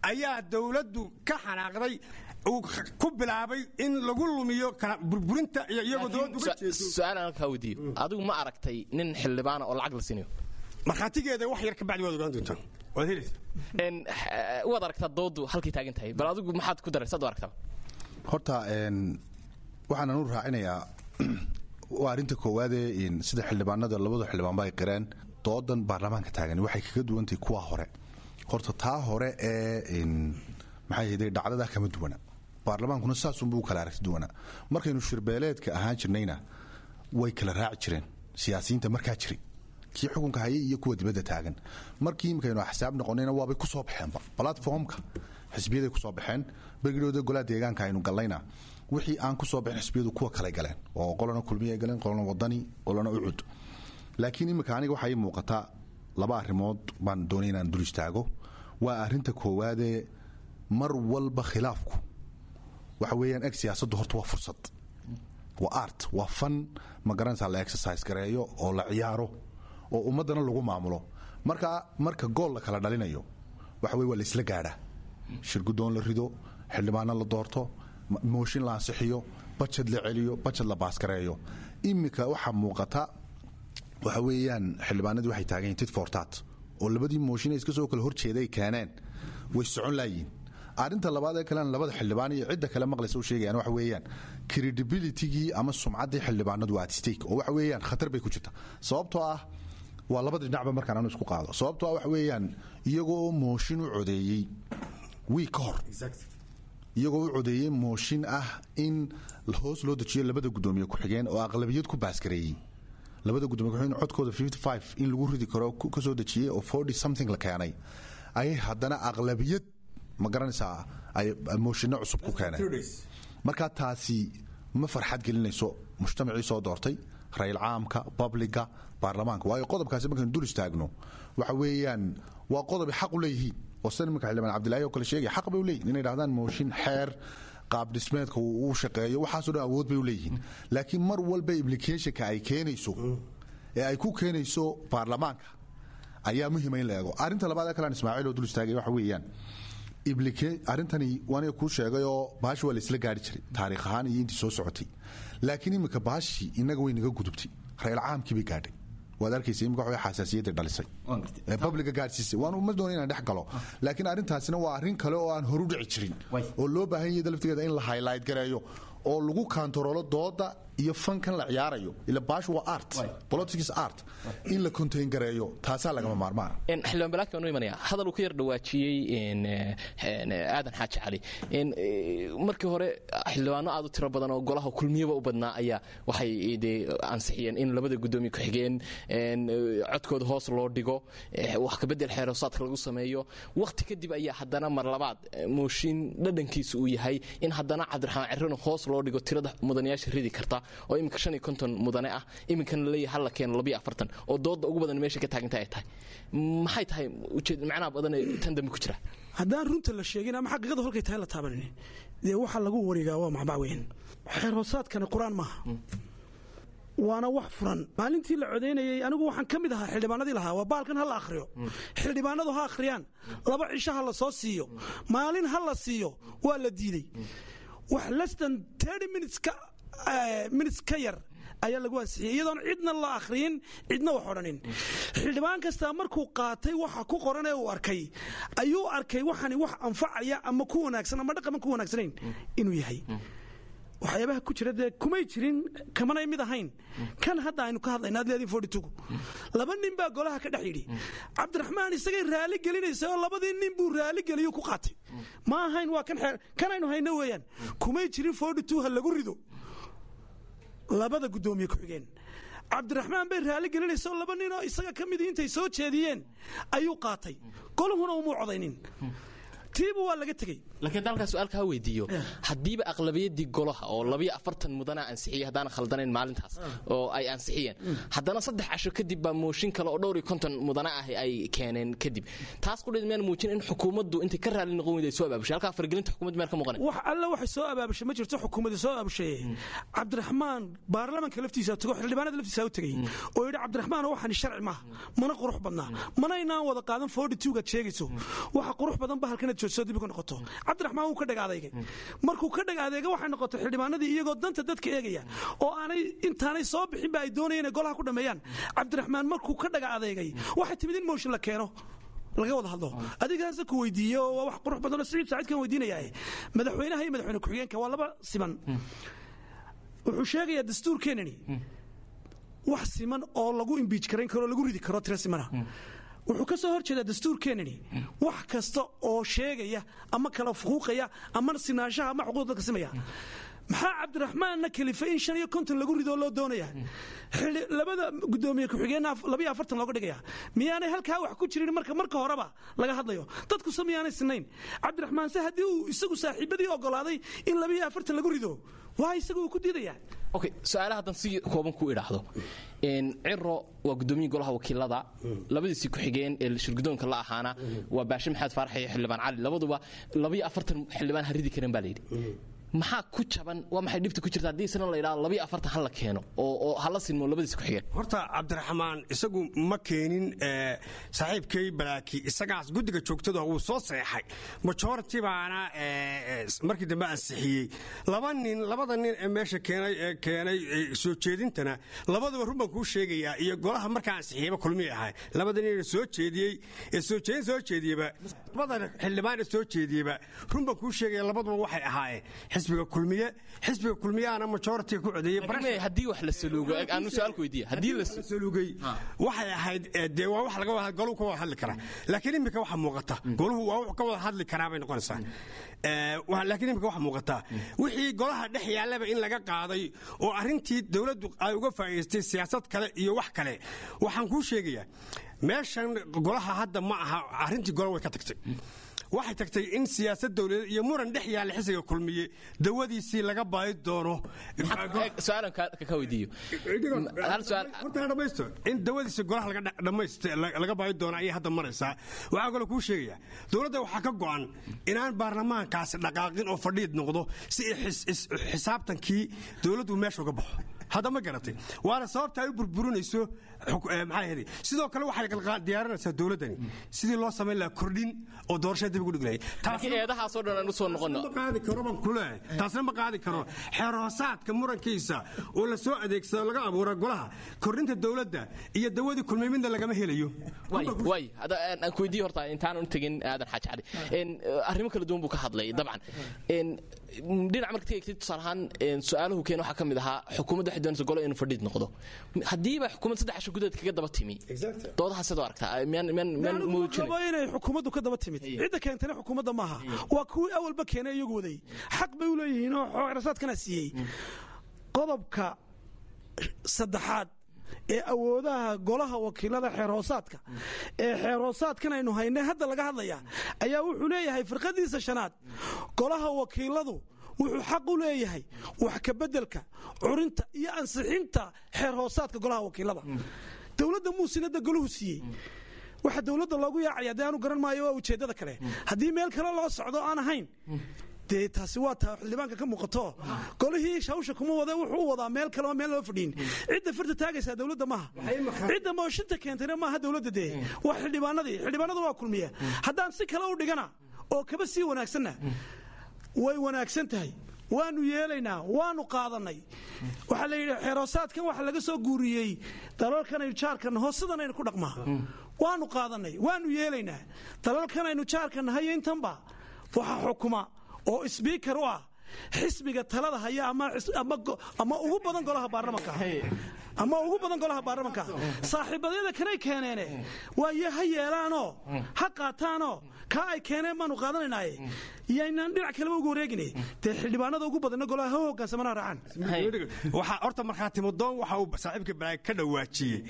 ayaa dowladdu ka xanaaqday, uu ku bilaabay in lagu lumiyo kala burburinta iyo iyagoo dowladdu uga jeedo.
Su-aal aan halkaa weydiiyo: adigu ma aragtay nin xildhibaana oo lacag la siinayo?
Markhaatigeeda wax yar ka bacdi waad ogaan doontaan, waad helaysaa.
Waad aragtaa doodu halkay taagan tahay. Bal adigu maxaad ku daraysaad u aragtaa?
Horta waxaan anu raacinayaa waa arrinta koowaadee sida xildhibaanada labada xildhibaanba ay qireen, doodan baarlamaanka taagan waxay kaga duwantahay kuwa hore. Horta taa hore ee maxay ahayday dhacdadaa kama duwana, baarlamaankuna saasunbuu u kala aragti duwanaa. Markaynu shirbeeleedka ahaan jirnayna way kala raaci jireen siyaasiyiinta markaa jiray, kii xukunka hayay iyo kuwa dibadda taagan. Markii imikaynu axsaab noqonayna waabay ku soo baxeenba platformka xisbiyaday ku soo baxeen. Bergidhooda golaha deegaanka aynu gallayna, wixii aan ku soo baxin xisbiyadu kuwa kale galeen, oo qolana Kulmiye galeen, qolana Wadani, qolana Ucud. Laakiin imika aniga waxaa ii muuqata laba arrimood baan doonay inaan dul istaago. Waa arrinta koowaadee, mar walba khilaafku waxa weeyaan eg siyaasaddu horta waa fursad, waa art, waa fan, ma garanaysaa, la exercise gareeyo oo la ciyaaro oo ummaddana lagu maamulo. Marka gool la kala dhalinayo waxa weye waa la isla gaadhaa: shirguddoon la rido, xildhibaano la doorto, mooshin la ansixiyo, bajad la celiyo, bajad la baaskareeyo. Imika waxaa muuqata waxa weeyaan xildhibaanadii waxay taagan yihiin tit for tat, oo labadii mooshin ay iska soo kala horjeeday keeneen way socon laayiin. Arrinta labaad ee kalena labada xildhibaan iyo cidda kale maqlaysa u sheegayaan waxa weeyaan credibilitygii ama sumcaddii xildhibaanadu waa at stake, oo waxa weeyaan khatar bay ku jirta. Sababtoo ah waa labada dhinacba markaan anu isku qaado, sababtoo ah waxa weeyaan iyagoo mooshin u codeeyey wiig ka hor, iyagoo u codeeyey mooshin ah in hoos loo dejiyo labada guddoomiye ku-xigeen oo aqlabiyad ku baaskareeyey, labada guddoomiye ku-xigeen codkooda 55 in lagu ridi karo ka soo dejiyey oo 40 something la keenay, ayay haddana aqlabiyad, ma garanaysaa, ay mooshinno cusub ku keeneen. Marka taasi ma farxad gelinayso mujtamacii soo doortay, rayil caamka, babliga, baarlamaanka. Waayo qodobkaasi markaynu dul istaagno waxa weeyaan waa qodob ay xaq u leeyihiin, oo sida iminka xildhibaan Cabdilaahi oo kale sheegaya, xaq bay u leeyihin inay dhahdaan mooshin xeer Qaab dhismeedka uu u shaqeeyo, waxaasoo dhan awood bay u leeyihiin. Laakiin mar walba implicationka ay keenayso ee ay ku keenayso baarlamaanka ayaa muhiima in la eego. Arrinta labaad ee kalean, Ismaaciil, oo dul istaagay waxa weeyaan arrintani waaniga kuu sheegayoo bahashi waa la isla gaari jiray taariikh ahaan iyo intii soo socotay, laakiin iminka bahashi innaga way naga gudubtay, reel caamkii bay gaadhay. Waad arkaysa imika waxa xasaasiyadda dhalisay ee publica gaadhsiisay. Waan uma doonay inaan dhex galo, laakiin arrintaasina waa arrin kale oo aan horu dhici jirin oo loo baahan yahay laftigeeda in la highlight gareeyo oo lagu kantaroolo dooda iyo fankan la ciyaarayo. Ila baashu waa art, politics art, in la contain gareeyo taasaa lagama maarmaan.
Xildhibaan Balaaki baan u imanaya. Hadal uu ka yar dhawaajiyey Aadan Xaaji Cali, markii hore xildhibaano aad u tiro badan oo golaha Kulmiyaba u badnaa ayaa waxay dee ansixiyeen in labada guddoomiye ku-xigeen codkooda hoos loo dhigo, wax kabedel xeeroosaadka lagu sameeyo. Wakhti kadib ayaa haddana mar labaad mooshin dhadhankiisu uu yahay in haddana Cabdiraxmaan Cirrona hoos loo dhigo tirada mudanayaasha ridi karta, oo iminka 55 mudane ah, iminkana laleeyahay halla keeno 42, oo dooda ugu badan meesha ka taaganta ay tahay. Maxay tahay ujeed macnaha badan ee tan dambe ku jira?
Haddaan runta la sheegin ama xaqiiqadu halkay tahay la taabanin, dee waxa lagu wareegaa waa maxbaa weyn. Xeer hoosaadkani Qur-aan maaha, waana wax furan. Maalintii la codaynayey anigu waxaan ka mid ahaa xildhibaanadii lahaa waa baalkan ha la akhriyo, xildhibaanadu ha akhriyaan, 2 cisho ha la soo siiyo, maalin ha la siiyo. Waa la diidey. Wax less than 30 minutes ka yar ayaa lagu ansixiyey, iyadoon cidna la akhriyin, cidna wax odhanin. Xildhibaan kastaa markuu qaatay waxa ku qoran ee uu arkay ayuu arkay waxani wax anfacaya ama ku wanaagsan ama dhaqaman ku wanaagsanayn inuu yahay. Waxyaabaha ku jira dee kumay jirin, kamanay mid ahayn kan hadda aynu ka hadlayna. Ad leedin 42-gu laba nin baa golaha ka dhex yidhi. Cabdiraxmaan isagay raali gelinaysa oo labadii nin buu raali geliyo ku qaatay. Ma ahayn, waa kan xeer kan aynu hayno weeyaan. Kumay jirin 42 ha lagu rido labada guddoomiye ku-xigeen. Cabdiraxmaan bay raali gelinaysa oo laba ninoo isaga ka midii intay soo jeediyeen ayuu qaatay, goluhuna umuu codaynin, tiibu waa laga tegey.
Laakiin haddaan halkaa su-aal kaa weydiiyo, haddiiba aqlabiyadii golaha oo 42 mudana ansixiyey, haddaan khaldanayn maalintaas oo ay ansixiyeen, haddana 3 casho kadib baa mooshin kale oo dhowr iyo konton mudana ah ay keeneen kadib, taas qudheed miyaan muujin in xukuumaddu intay ka raali noqon weyday soo abaabushay? Halkaa faragelinta xukuumaddu meel ka muuqanay?
Wax alle waxay soo abaabushay ma jirto xukuumadda soo abaabushaye. Cabdiraxmaan baarlamanka laftiisa tago, xildhibaanada laftiisa u tegey oo yidhi: "Cabdiraxmaan, waxani sharci maaha, mana qurux badnaa, mana inaan wada qaadan 42-gaad sheegayso. Waxa qurux badan ba halkanaad joogso dib uga noqoto." Cabdiraxmaan wuu ka dhaga adeegay. Markuu ka dhaga adeega, waxay noqotay xildhibaanadii iyagoo danta dadka eegaya oo aanay intaanay soo bixin ba ay doonayeen inay golaha ku dhameeyaan. Cabdiraxmaan markuu ka dhaga adeegay, waxay timid in motion la keeno, laga wada hadlo. Adigaasa ku weydiiye oo waa wax qurux badan oo Siciid Saaciidkan weydiinayaa. Madaxweynaha iyo madaxweyne ku-xigeenka waa laba siman, wuxuu sheegayaa dastuurkeenani. Wax siman oo lagu impeach karayn karo, lagu ridi karo tira simana, wuxuu ka soo hor jeedaa dastuurkeenani wax kasta oo sheegaya ama kala fuquuqaya ama sinaanshaha ama xuquuqda dadka simaya. Maxaa Cabdiraxmaanna kalifay in 55 lagu ridoo loo doonaya, xili labada guddoomiye ku-xigeenna 42 looga dhigaya? Miyaanay halkaa wax ku jirin marka horeba laga hadlayo dadku se miyaanay sinayn? Cabdiraxmaan se haddii uu isagu saaxiibadii ogolaaday in 42 lagu rido, waa isagu uu ku diidaya.
Okay, su-aalaha haddan si kooban ku idhaahdo, Ciro waa guddoomiye golaha wakiilada, labadiisii ku-xigeen ee shirgudoonka la ahaana waa Baashe Maxamed Faarax iyo Xildhibaan Cali. Labaduba 42 xildhibaan ha ridi kareen baa layidhi. Maxaa ku jaban? Waa maxay dhibta ku jirta haddii isna la yidhahdo 42 ha la keeno oo hala sinmo labadiisi ku-xigeen?
Horta Cabdiraxmaan isagu ma keenin, saaxiibkay Balaaki isagaas guddiga joogtada wuu soo seexay, majority baana markii dambe ansixiyey. Laba nin, labada nin ee meesha keenay ee keenay soo jeedintana, labaduba run baan kuu sheegayaa, iyo golaha markaa ansixiyeyba Kulmiyay ahay. Labada nin ee soo jeediyey ee soo jeedin soo jeediyeyba, labada xildhibaan ee soo jeediyeyba, run baan kuu sheegaya, labaduba waxay ahaayeen xisbiga Kulmiye. Xisbiga Kulmiyaana majority ku codeeyey.
Haddii wax la saluugo, aanu su-aal ku weydiiya, haddii la
saluugay, waxay ahayd dee waa wax laga wada, goluhu ka wada hadli karaa. Laakiin imika waxa muuqata goluhu waa wax ka wada hadli karaa bay noqonaysaa. Laakiin imika waxa muuqata wixii golaha dhex yaallaba in laga qaaday oo arrintii dowladdu ay uga faa'iidaystay siyaasad kale iyo wax kale. Waxaan kuu sheegayaa, meeshan golaha hadda ma aha, arrintii gola way ka tagtay. Waxay tagtay in siyaasad dowladeed iyo muran dhex yaalla xisbiga Kulmiye dawadiisii laga baadi doono.
Su-aalan ka weydiiyo hal su'aal.
Horta ha dhamaysto. In dawadiisa golaha laga baadi doono ayay hadda maraysaa. Waxaa kaloo kuu sheegaya, dowladda waxaa ka go'an inaan baarlamaankaasi dhaqaaqin oo fadhiid noqdo si xisaabtankii dowladdu meesha uga baxo. Hadda ma garatay? Waana sababta ay u burburinayso. Maxaa ahayd? Sidoo kale waxay diyaarinaysaa dowladdani sidii loo samayn lahaa kordhin oo doorashada dib ugu dhig lahayd.
Laakiin eedahaasoo dhan aan u soo noqonno.
Ma qaadi karo baan ku leeyahay, taasna ma qaadi karo. Xeer hoosaadka murankiisa oo la soo adeegsado laga abuura golaha kordhinta dowladda iyo dawadii Kulmay midna lagama helayo.
Waay, aan ku weydiiyo horta intaanan u tegin Aadan Xaaji Cali. Arrimo kala duwan buu ka hadlay dabcan. Dhinac marka tegtid, tusaale ahaan, su-aaluhu keen waxaa ka mid ahaa xukuumadda waxay doonaysa golo inuu fadhiid noqdo. Haddiiba xukuumad 3 casho gudaheed kaga daba timi doodaha, sidoo aragtaa miyaan muujinay?
Qabo inay xukuumaddu ka daba timid. Cidda keentana xukuumadda maaha, waa kuwii awalba keenay iyagu waday. Xaq bay u leeyihiin oo xeerasaadkana siiyey. Qodobka saddexaad ee awoodaha golaha wakiilada xeer hoosaadka ee xeer hoosaadkan aynu haynay hadda laga hadlaya ayaa wuxuu leeyahay firqadiisa shanaad: golaha wakiiladu wuxuu xaq u leeyahay wax ka beddelka, curinta iyo ansixinta xeer hoosaadka golaha wakiilada. Dowladda muusinada golahu siiyey waxa dowladda loogu yaacaya dee aanu garan maayo. Waa ujeeddada kale. Haddii meel kale loo socdo aan ahayn, dee taasi waa taa xildhibaanka ka muuqato. Golihii hawsha kuma wada, wuxuu u wadaa meel kale oo meel loo fadhiin. Cidda farta taagaysaa dowladda maaha, cidda mooshinta keentayna maaha dowladda, dee waa xildhibaanadii. Xildhibaanadu waa Kulmiya. Haddaan si kale u dhigana oo kaba sii wanaagsanna, way wanaagsan tahay, waanu yeelaynaa, waanu qaadanay. Waxaa la yidhi xeeroosaadkan waxa laga soo guuriyey dalalkanaynu jaarka naho, sidanaynu ku dhaqmaa. Waanu qaadanay, waanu yeelaynaa. Dalalkanaynu jaarka nahay intanba waxa xukuma oo speaker u ah xisbiga talada haya ama ugu badan golaha baarlamanka, ama ugu badan golaha baarlamanka. Saaxiibadyada kanay keeneene waaye ha yeelaanoo ha qaataanoo kaa ay keeneen baanu qaadanaynaye, yaynaan dhinac kaleba uga wareegine. Dee xildhibaanada ugu badanna golaha ha hogaansamana raacaan.
Waxaa horta markhaatimodoon waxa uu saaxiibka Balaag ka dhawaajiyey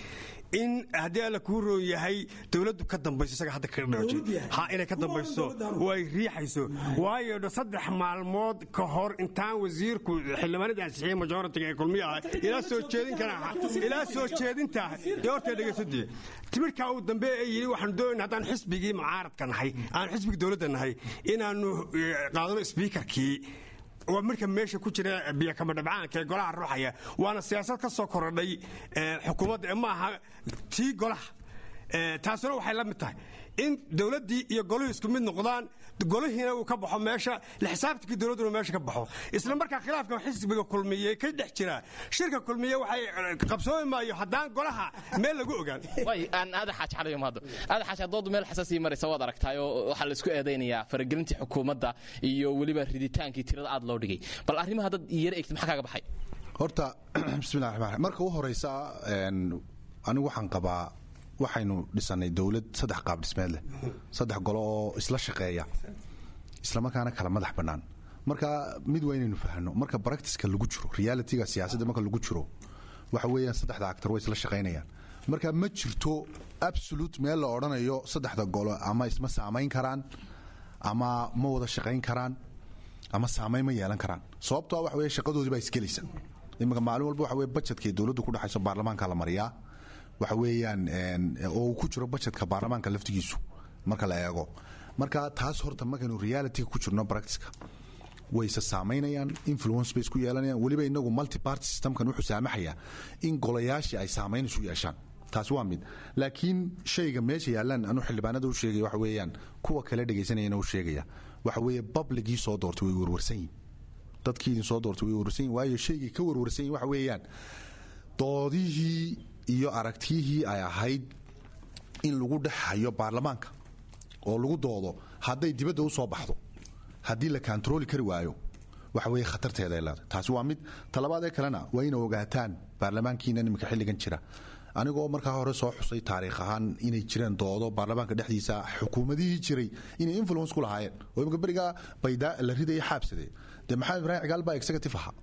in haddii Alla kuu roon yahay dowladdu ka dambayso. Isaga hadda kaga dhawaajiyey ha inay ka dambayso oo ay riixayso, waayo 3 maalmood ka hor intaan wasiirku xildhibaanada ansixiyey majority-ga ee Kulmiya ah ilaa soo jeedin kara ilaa soo jeedinta dee horta dhegeysadii timirkaa uu dambe ee yidhi waxaanu doonayna haddaan xisbigii mucaaradka nahay, aan xisbigii dowladda nahay, inaanu qaadano speakerkii, waa marka meesha ku jira biyo kama dhabcaanka ee golaha ruuxaya. Waana siyaasad ka soo korodhay xukuumadda ee maaha tii golaha. Taasuna waxay la mid tahay in dowladdii iyo goluhu isku mid noqdaan, golihiina uu ka baxo meesha, la xisaabtankii dowladduna meesha ka baxo. Isla markaa khilaafka xisbiga Kulmiye ka dhex jira shirka Kulmiye waxay qabsoomi maayo haddaan golaha meel lagu ogaan.
Way aan Aadan Xaaji Cali mahado. Aadan Xaaji, doodu meel xasaasi maraysa waad aragtaayoo waxaa la isku eedaynayaa faragelintii xukuumadda iyo weliba riditaankii tirada aad loo dhigay. Bal arrimaha dad yar eegtid, maxaa kaaga baxay?
Horta bismillahi raxmaan raxiim. Marka u horeysa, anigu waxaan qabaa waxaynu dhisanay dowlad saddex qaab dhismeed leh, saddex golo oo isla shaqeeya islamarkaana kala madax bannaan. Marka mid waa inaynu fahanno, marka practiceka lagu jiro, realityga siyaasadda marka lagu jiro, waxa weeyaan saddexda actor way isla shaqaynayaan. Marka ma jirto absolute meel la odhanayo saddexda golo ama isma saamayn karaan ama ma wada shaqayn karaan ama saamayn ma yeelan karaan, sababtoo waxa weeye shaqadoodii baa isgelaysa. Iminka maalin walba waxa weye budgetka ay dowladdu ku dhexayso baarlamaanka la mariyaa, waxa weeyaan oo uu ku jiro budgetka baarlamaanka laftigiisu marka la eego. Marka taas horta markaynu reality ku jirno, practiceka wayse saamaynayaan, influence bay isku yeelanayaan. Weliba inagu multi party systemkan wuxuu saamaxayaa in golayaashii ay saamayn isu yeeshaan. Taasi waa mid. Laakiin shayga meesha yaallaan anuu xildhibaanada u sheegaya waxa weeyaan, kuwa kale dhegaysanayana u sheegaya, waxa weeye publicgii soo doortay way warwarsan yihin. Dadkii idin soo doortay way warwarsan yihin, waayo shaygii ka warwarsan yihin waxa weeyaan doodihii iyo aragtiyihii ay ahayd in lagu dhex hayo baarlamaanka oo lagu doodo hadday dibadda u soo baxdo, haddii la kantarooli kari waayo, waxa weeye khatarteeda ay leedahay. Taasi waa mid. Talabaad ee kalena waa inay ogaataan baarlamaankiina iminka xilligan jira, anigoo markaa hore soo xusay taariikh ahaan inay jireen doodo baarlamaanka dhexdiisa xukuumadihii jiray inay influence ku lahaayeen, oo imika berigaa Baydaa la ridaya Xaabsadee, dee Maxamed Ibraahim Cigaal baa executive ahaa.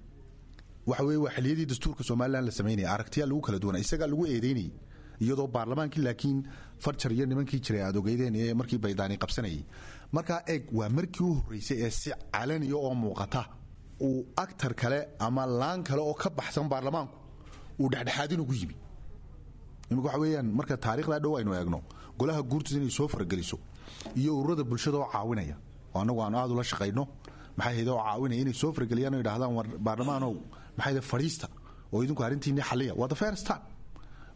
Waxa weeye waa xilliyadii dastuurka Somaliland la samaynaya, aragtiyaa lagu kala duwanaa, isagaa lagu eedeynayay Iyadoo baarlamaankii laakiin farjar iyo nimankii jiray aad ogeydeen ee markii Baydaani qabsanayay. Markaa eeg, waa markii u horreysay ee si calaniya oo muuqata uu actor kale ama laan kale oo ka baxsan baarlamaanku uu dhexdhexaadin ugu yimi. Imika waxa weeyaan, marka taariikhdaa dhow aynu eegno, golaha guurtiisa inay soo farageliso iyo ururada bulshada oo caawinaya, oo annagu aanu aad ula shaqayno, maxay hayde, oo caawinaya inay soo farageliyaan oo yidhahdaan, "War baarlamaanow, maxay hayde, fadhiista oo idinku arrintiinni xalliya." Waa the first time.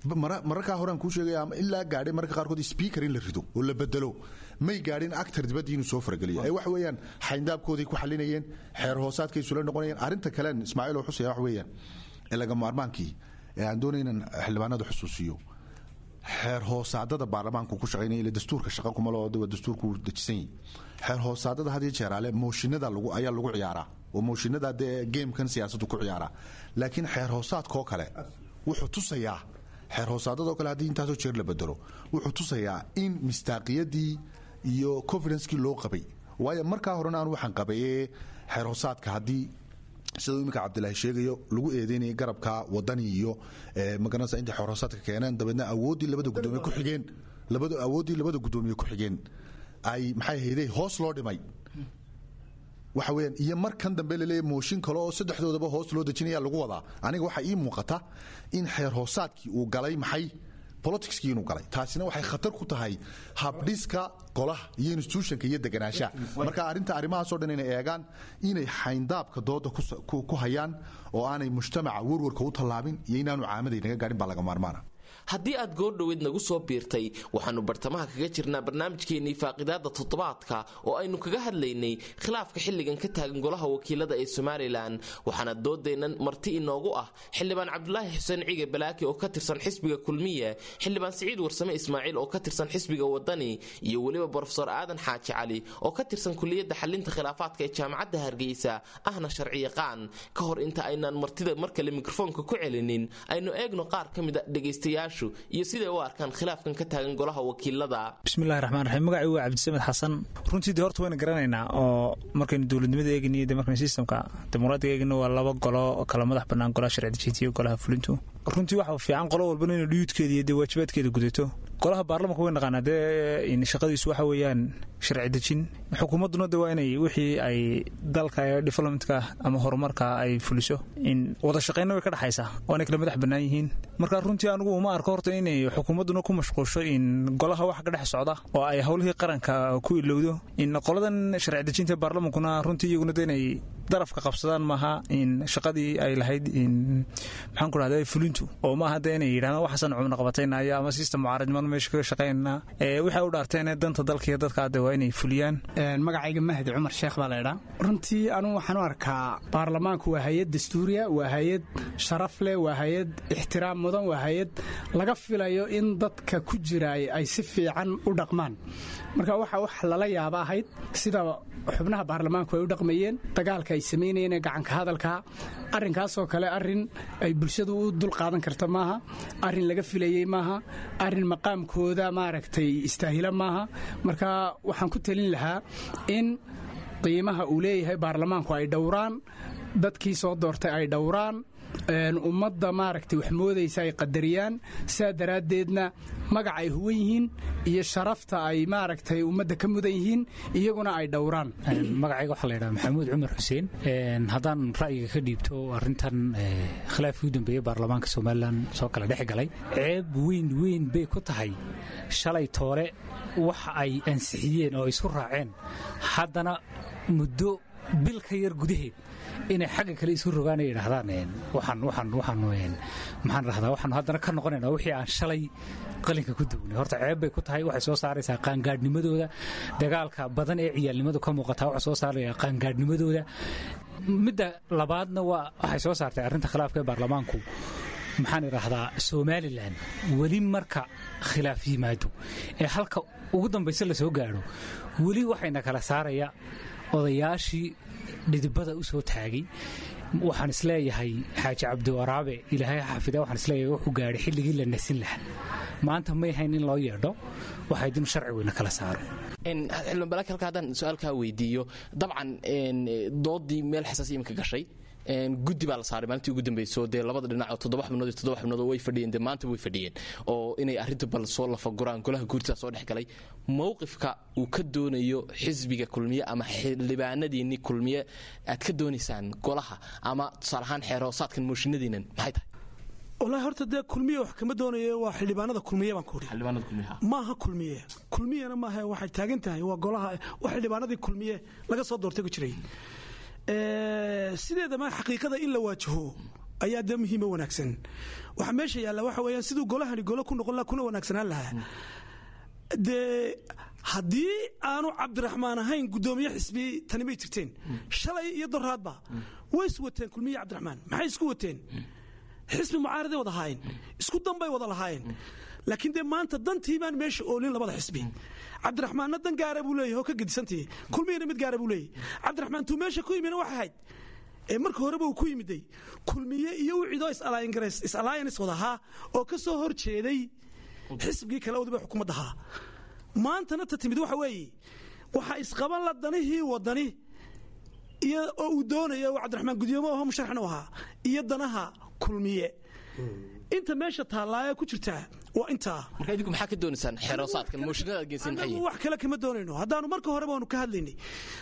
Mararkaa horaan kuu sheegaya ama ilaa gaadhay mararka qaarkood speaker in la rido oo la bedelo, may gaadhin actor dibaddii inuu soo farageliyo. Ee waxa weeyaan xayndaabkooday ku xalinayeen, xeer hoosaadkay isula noqonayeen. Arrinta kalen, Ismaaciil oo xusaya, waxa weeyaan ee laga maarmaankii ee aan doonay inaan xildhibaanada xusuusiyo, xeer hoosaadada baarlamaanku ku shaqaynaya, ila dastuurka shaqa kuma loo, dastuurku wuu dejisan yahay. Xeer hoosaadada had iyo jeeraale mooshinada lagu ayaa lagu ciyaaraa oo mooshinada dee gamekan siyaasaddu ku ciyaaraa. Laakiin xeer hoosaadkoo kale wuxuu tusayaa, xeer hoosaadadoo kale haddii intaasoo jeer la bedelo, wuxuu tusayaa in mistaaqiyadii iyo confidencekii loo qabay. Waayo, markaa horena aan waxaan qabay ee xeer hoosaadka haddii siduu iminka Cabdilaahi sheegayo lagu eedeynayay garabka Wadani iyo magaranaysa intay xeer hoosaadka keeneen, dabeedna awooddii labada gudoomiye ku xigeen, labada awooddii labada gudoomiye ku xigeen ay maxay hayday hoos loo dhimay, waxa weeyaan, iyo markan dambe laleeyahay mooshin kale oo saddexdoodaba hoos loo dejinaya lagu wadaa, aniga waxaa ii muuqata in xeer hoosaadkii uu galay maxay politicskii inuu galay. Taasina waxay khatar ku tahay habdhiska golaha iyo institutionka iyo deganaanshaha. Marka arrinta arrimahaasoo dhan inay eegaan, inay xayndaabka dooda ku hayaan oo aanay mujtamaca warwarka u tallaabin iyo inaanu caamaday naga gaadhin baa laga maarmaana.
Haddii aad goordhoweed nagu soo biirtay, waxaannu bartamaha kaga jirnaa barnaamijkeennii faaqidaada toddobaadka oo aynu kaga hadlaynay khilaafka xilligan ka taagan golaha wakiilada ee Somalilan. Waxaana doodeennan marti inoogu ah Xildhibaan Cabdulaahi Xuseen Cige Balaaki oo ka tirsan xisbiga Kulmiye, Xildhibaan Siciid Warsame Ismaaciil oo ka tirsan xisbiga Wadani, iyo weliba Brofesor Aadan Xaaji Cali oo ka tirsan kuliyadda xalinta khilaafaadka ee Jaamacadda Hargeysa, ahna sharciyaqaan. Ka hor inta aynaan martida mar kale mikrofoonka ku celinin, aynu eegno qaar ka mid a dhegaystayaashu iyo siday u arkaan khilaafkan ka taagan golaha wakiilada.
Bismillahi raxmaan raxiim. Magacii waa Cabdisamed Xasan. Runtii dee horta wayna garanaynaa oo markaynu dowladnimada eegniyo de markaynu systemka dimuqraadiga eegno, waa laba golo oo kala madax bannaan, golaha sharci dejinta iyo golaha fulintu. Runtii waxa fiican qolo walbana inay dhuyudkeeda iyo dee waajibaadkeeda gudato. Golaha baarlamanka way naqaanaa, dee shaqadiisu waxa weeyaan sharci dejin. Xukuumadduna de waa inay wixii ay dalka ee developmentka ama horumarka ay fuliso. In wada shaqaynna way ka dhexaysaa, waanay kala madax bannaan yihiin. Marka runtii anigu uma arko horta inay xukuumadduna ku mashquusho in golaha wax ka dhex socda oo ay howlihii qaranka ku ilowdo. In qoladan sharci dejinta baarlamankuna runtii iyaguna de inay darafka qabsadaan maaha in shaqadii ay lahayd in maxaan ku rahda fulintu, oo maaha de inay yidhahdaan waxaasan cumna qabataynaya ama system mucaaradnimada meesha kaga shaqaynana. Waxay u dhaarteen danta dalka iyo dadka de waa inay fuliyaan.
Magacayga Mahdi Cumar Sheekh baa laydhaa. Runtii anugu waxaan u arkaa baarlamaanku waa hay-ad dastuuriya, waa hay-ad sharaf leh, waa hay-ad ixtiraam mudan, waa hay-ad laga filayo in dadka ku jiraay ay si fiican u dhaqmaan. Marka waxa wax lala yaaba ahayd sida xubnaha baarlamaanku ay u dhaqmayeen, dagaalka ay samaynayeen ee gacanka hadalka. Arrinkaasoo kale arrin ay bulshadu u dul qaadan karta maaha, arrin laga filayey maaha, arrin maqaamkooda maaragtay istaahila maaha. Marka waxaan ku talin lahaa in qiimaha uu leeyahay baarlamaanku ay dhowraan, dadkii soo doortay ay dhowraan, ummadda maaragtay wax moodaysa ay qadariyaan. Sidaa daraaddeedna magac ay huwan yihiin iyo sharafta ay maaragtay ummadda ka mudan yihiin iyaguna ay dhowraan.
Magacayga waxaa la yidhaha Maxamuud Cumar Xuseen. Haddaan ra'yiga ka dhiibto arrintan khilaafkii u dambeeyey baarlamaanka Somalilan soo kala dhex galay, ceeb weyn weyn bay ku tahay. Shalay toole wax ay ansixiyeen oo isku raaceen, haddana muddo bil ka yar gudaheed inay xagga kale isu rogaan ay yidhaahdaan, waxaan waxaan waxaan maxaan rahdaa, waxaanu haddana ka noqonaynaa wixii aan shalay qalinka ku duwnay, horta ceeb bay ku tahay. Waxay soo saaraysaa qaangaadhnimadooda. Dagaalka badan ee ciyaalnimadu ka muuqataa waxay soo saaraya qaangaadhnimadooda. Midda labaadna waa waxay soo saartay arrinta khilaafka ee baarlamaanku, maxaan idhaahdaa, Somalilan weli marka khilaaf yimaado ee halka ugu dambaysa la soo gaadho, weli waxayna kala saaraya odayaashii dhidibada u soo taagay. Waxaan isleeyahay Xaaji Cabdiwaraabe, Ilaahay xafida, waxaan isleeyahay wuxuu gaadhay xilligii la nasin lahaa. Maanta may hayn in loo yeedho, waxay dinu sharci weyna kala saaro.
Xildhibaan Balaak, halka haddaan su-aalkaa weydiiyo, dabcan doodii meel xasaasi iminka gashay. Guddi baa la saaray maalintii ugu dambeysay oo dee labada dhinac oo 7 xubnood iyo 7 xubnood way fadhiyeen, dee maanta way fadhiyeen oo inay arrinta bal soo lafaguraan. Golaha guurtidaa soo dhex galay. Mowqifka uu ka doonayo xisbiga Kulmiye ama xildhibaanadiinni Kulmiye aad ka doonaysaan golaha ama tusaale ahaan xeer hoosaadkan mooshinadiinan maxay tahay?
Wallaahi horta dee Kulmiye wax kama doonayo, waa xildhibaanada Kulmiye baan ku idhi. Maaha Kulmiye, Kulmiyena maaha, waxay taagan tahay waa golaha, waa xildhibaanadii Kulmiye laga soo doortay ku jiray. Sideedama xaqiiqada in la waajaho ayaa dee muhiima wanaagsan. Waxa meesha yaalla waxa weeyaan siduu golahani golo ku noqon laha kuna wanaagsanaan lahaa. Dee haddii aanu Cabdiraxmaan ahayn guddoomiye xisbi, tani may jirteen. Shalay iyo doraadba way is wateen Kulmiye Cabdiraxmaan. Maxay isku wateen? Xisbi mucaaraday wada ahaayeen, isku danbay wada lahaayeen. Laakiin dee maanta dantii baan meesha oolin labada xisbi. Cabdiraxmaanna dan gaara buu leeyahay oo ka gedisantii, Kulmiyana mid gaara buu leeyahay. Cabdiraxmaan tuu meesha ku yimina waxay ahayd ee marka horeba uu ku yimiday Kulmiye iyo wiciidoo is-alliance wadahaa oo ka soo hor jeeday xisbigii kale wadiba xukuumadda ahaa. Maantana ta timid waxa weeye waxaa isqaban la danihii wadani iyo oo uu doonaya uu Cabdiraxmaan gudoomo aho musharaxna u ahaa iyo danaha Kulmiye. Inta meesha taallaaye ku jirtaa waa intaa.
Marka idinku maxaa ka doonaysaan xeeroosaadkan mooshinada aad geysan maxay?
Wax kale kama doonayno. Haddaanu marka horeba waanu ka hadlaynay,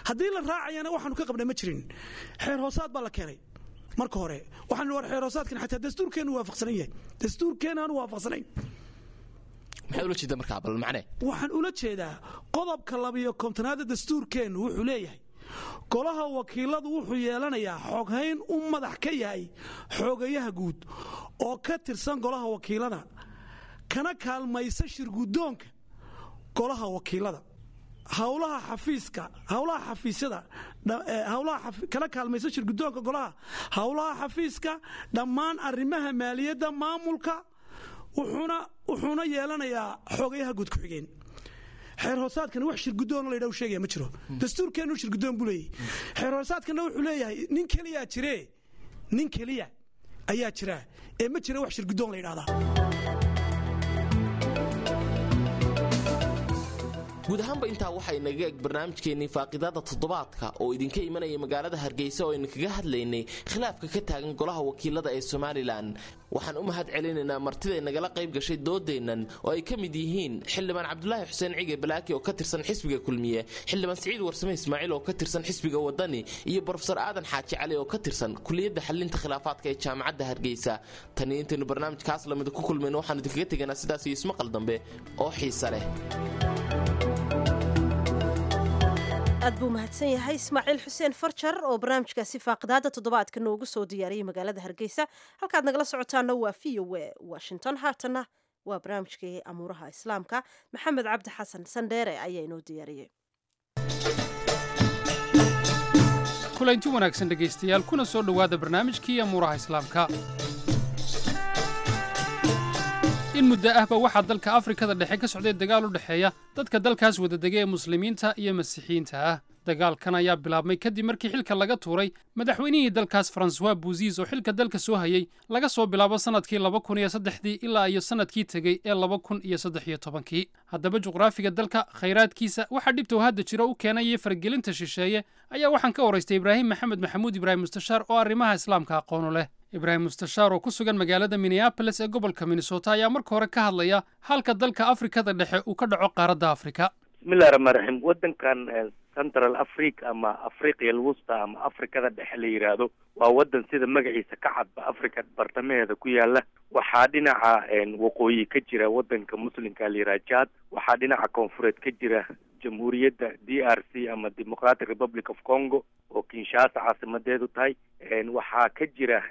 haddii la raacayana waxaanu ka qabnay ma jirin. Xeer hoosaad baa la keenay marka hore, waxaanu war xeer hoosaadkan xataa dastuurkeenu waafaqsanan yahay, dastuurkeena aanu waafaqsanayn.
Maxaad ula jeedaa markaa, bal macnee?
Waxaan ula jeedaa qodobka 52aad dastuurkeennu wuxuu leeyahay golaha wakiiladu wuxuu yeelanayaa xoghayn u madax ka yahay xoogayaha guud oo ka tirsan golaha wakiilada kana kaalmaysa shirguddoonka golaha wakiilada howlaha xafiiska, howlaha xafiisyada, howlaha kana kaalmaysa shirguddoonka golaha howlaha xafiiska, dhammaan arrimaha maaliyadda, maamulka. Wuxuuna yeelanayaa xoogayaha guud ku-xigeen. Xeer hoosaadkana wax shirguddoon la yidhaha sheegaya ma jiro. Dastuurkeennu shirguddoon buu leeyahay, xeer hoosaadkana wuxuu leeyahay nin keliyaa jiree, nin keliya ayaa jira ee ma jira wax shirguddoon la yidhahdaa.
Guud ahaanba intaa waxaa inaga eg barnaamijkeennii faaqidaada toddobaadka oo idinka imanaya magaalada Hargeysa oo aynu kaga hadlaynay khilaafka ka taagan golaha wakiilada ee Somalilan. Waxaan u mahad celinaynaa martida nagala qayb gashay doodeennan oo ay ka mid yihiin xildhibaan Cabdulaahi Xuseen Cige Balaaki oo ka tirsan xisbiga Kulmiye, xildhibaan Siciid Warsame Ismaaciil oo ka tirsan xisbiga Wadani iyo Brofesor Aadan Xaaji Cali oo ka tirsan kuliyadda xalinta khilaafaadka ee Jaamacadda Hargeysa. Taniyo intaynu barnaamijkaas lamid ku kulmayno, waxaan idinkaga teganaa sidaas iyo ismaqal dambe oo xiisa leh.
Aad buu mahadsan yahay Ismaaciil Xuseen Farjar oo barnaamijkaasi faaqidaada toddobaadka noogu soo diyaariyey magaalada Hargeysa. Halkaad nagala socotaana waa VOA Washington. Haatanna waa barnaamijkii amuuraha Islaamka. Maxamed Cabdi Xasan Sandheere ayaa inoo diyaariyey.
Kulanti wanaagsan dhegaystayaal, kuna soo dhowaada barnaamijkii amuuraha Islaamka. In muddo ahba waxaa dalka Afrikada Dhexe ka socday dagaal u dhexeeya dadka dalkaas wadadega ee Muslimiinta iyo Masiixiyiinta ah. Dagaalkan ayaa bilaabmay kadib markii xilka laga tuuray madaxweynihii dalkaas Francois Bozize oo xilka dalka soo hayey laga soo bilaabo sannadkii 2003dii ilaa iyo sannadkii tegey ee 2013kii. Haddaba juqraafiga dalka, khayraadkiisa, waxaa dhibta uu hadda jiro u keenaya faragelinta shisheeye ayaa waxaan ka waraystay Ibraahim Maxamed Maxamuud, Ibraahim Mustashaar, oo arrimaha Islaamka aqoonu leh. Ibraahim Mustashaar oo ku sugan magaalada Minneapolis ee gobolka Minnesota ayaa marka hore ka hadlaya halka dalka Afrikada Dhexe uu ka dhaco qaaradda Afrika.
Bismillahi raxmaan raxiim. Wadankan Central Africa ama Afriqiya Alwusta ama Afrikada Dhexe la yidhaahdo waa wadan sida magaciisa ka cadba Africa bartamaheeda ku yaala. Waxaa dhinaca waqooyi ka jira wadanka Muslimka la yidhaha Jad, waxaa dhinaca koonfureed ka jira Jamhuuriyadda DRC ama Democratic Republic of Congo oo Kinshasa caasimadeedu tahay, waxaa ka jira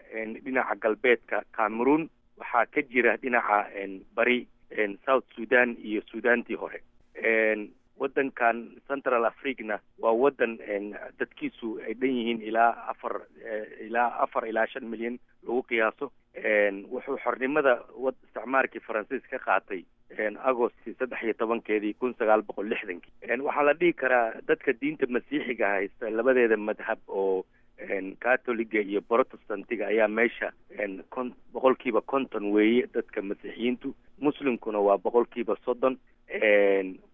dhinaca galbeedka Cameroon, waxaa ka jira dhinaca bari South Sudan iyo Sudantii hore. Wadankan Central Africana waa wadan dadkiisu ay dhan yihiin ilaa 4 ilaa 5 milyan lagu qiyaaso. Wuxuu xornimada isticmaarkii Faransiis ka qaatay Agost 13-keedii 1960-kii. Waxaa la dhihi karaa dadka diinta Masiixiga haysta labadeeda madhab oo Catholiga iyo Protestantiga ayaa meesha 50% weeye dadka Masiixiyiintu, Muslimkuna waa 30%.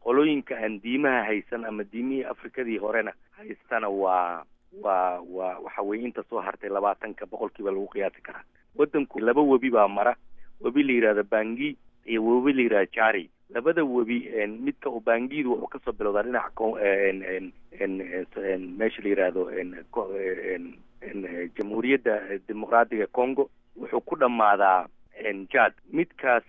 Qolooyinka aan diimaha haysan ama diimihii Afrikadii horena haystana waa Waa waxa weye inta soo hartay 20% lagu qiyaasi karaa. Wadanku laba webi baa mara, webi la yidhahdo Bangi iyo webi la yidhahdo Jari. Labada webi, midka Ubangidu wuxuu kasoo bilowdaa dhinaca meesha la yidhaahdo Jamhuuriyadda Dimuqraadiga Congo, wuxuu ku dhammaadaa Jad. Midkaas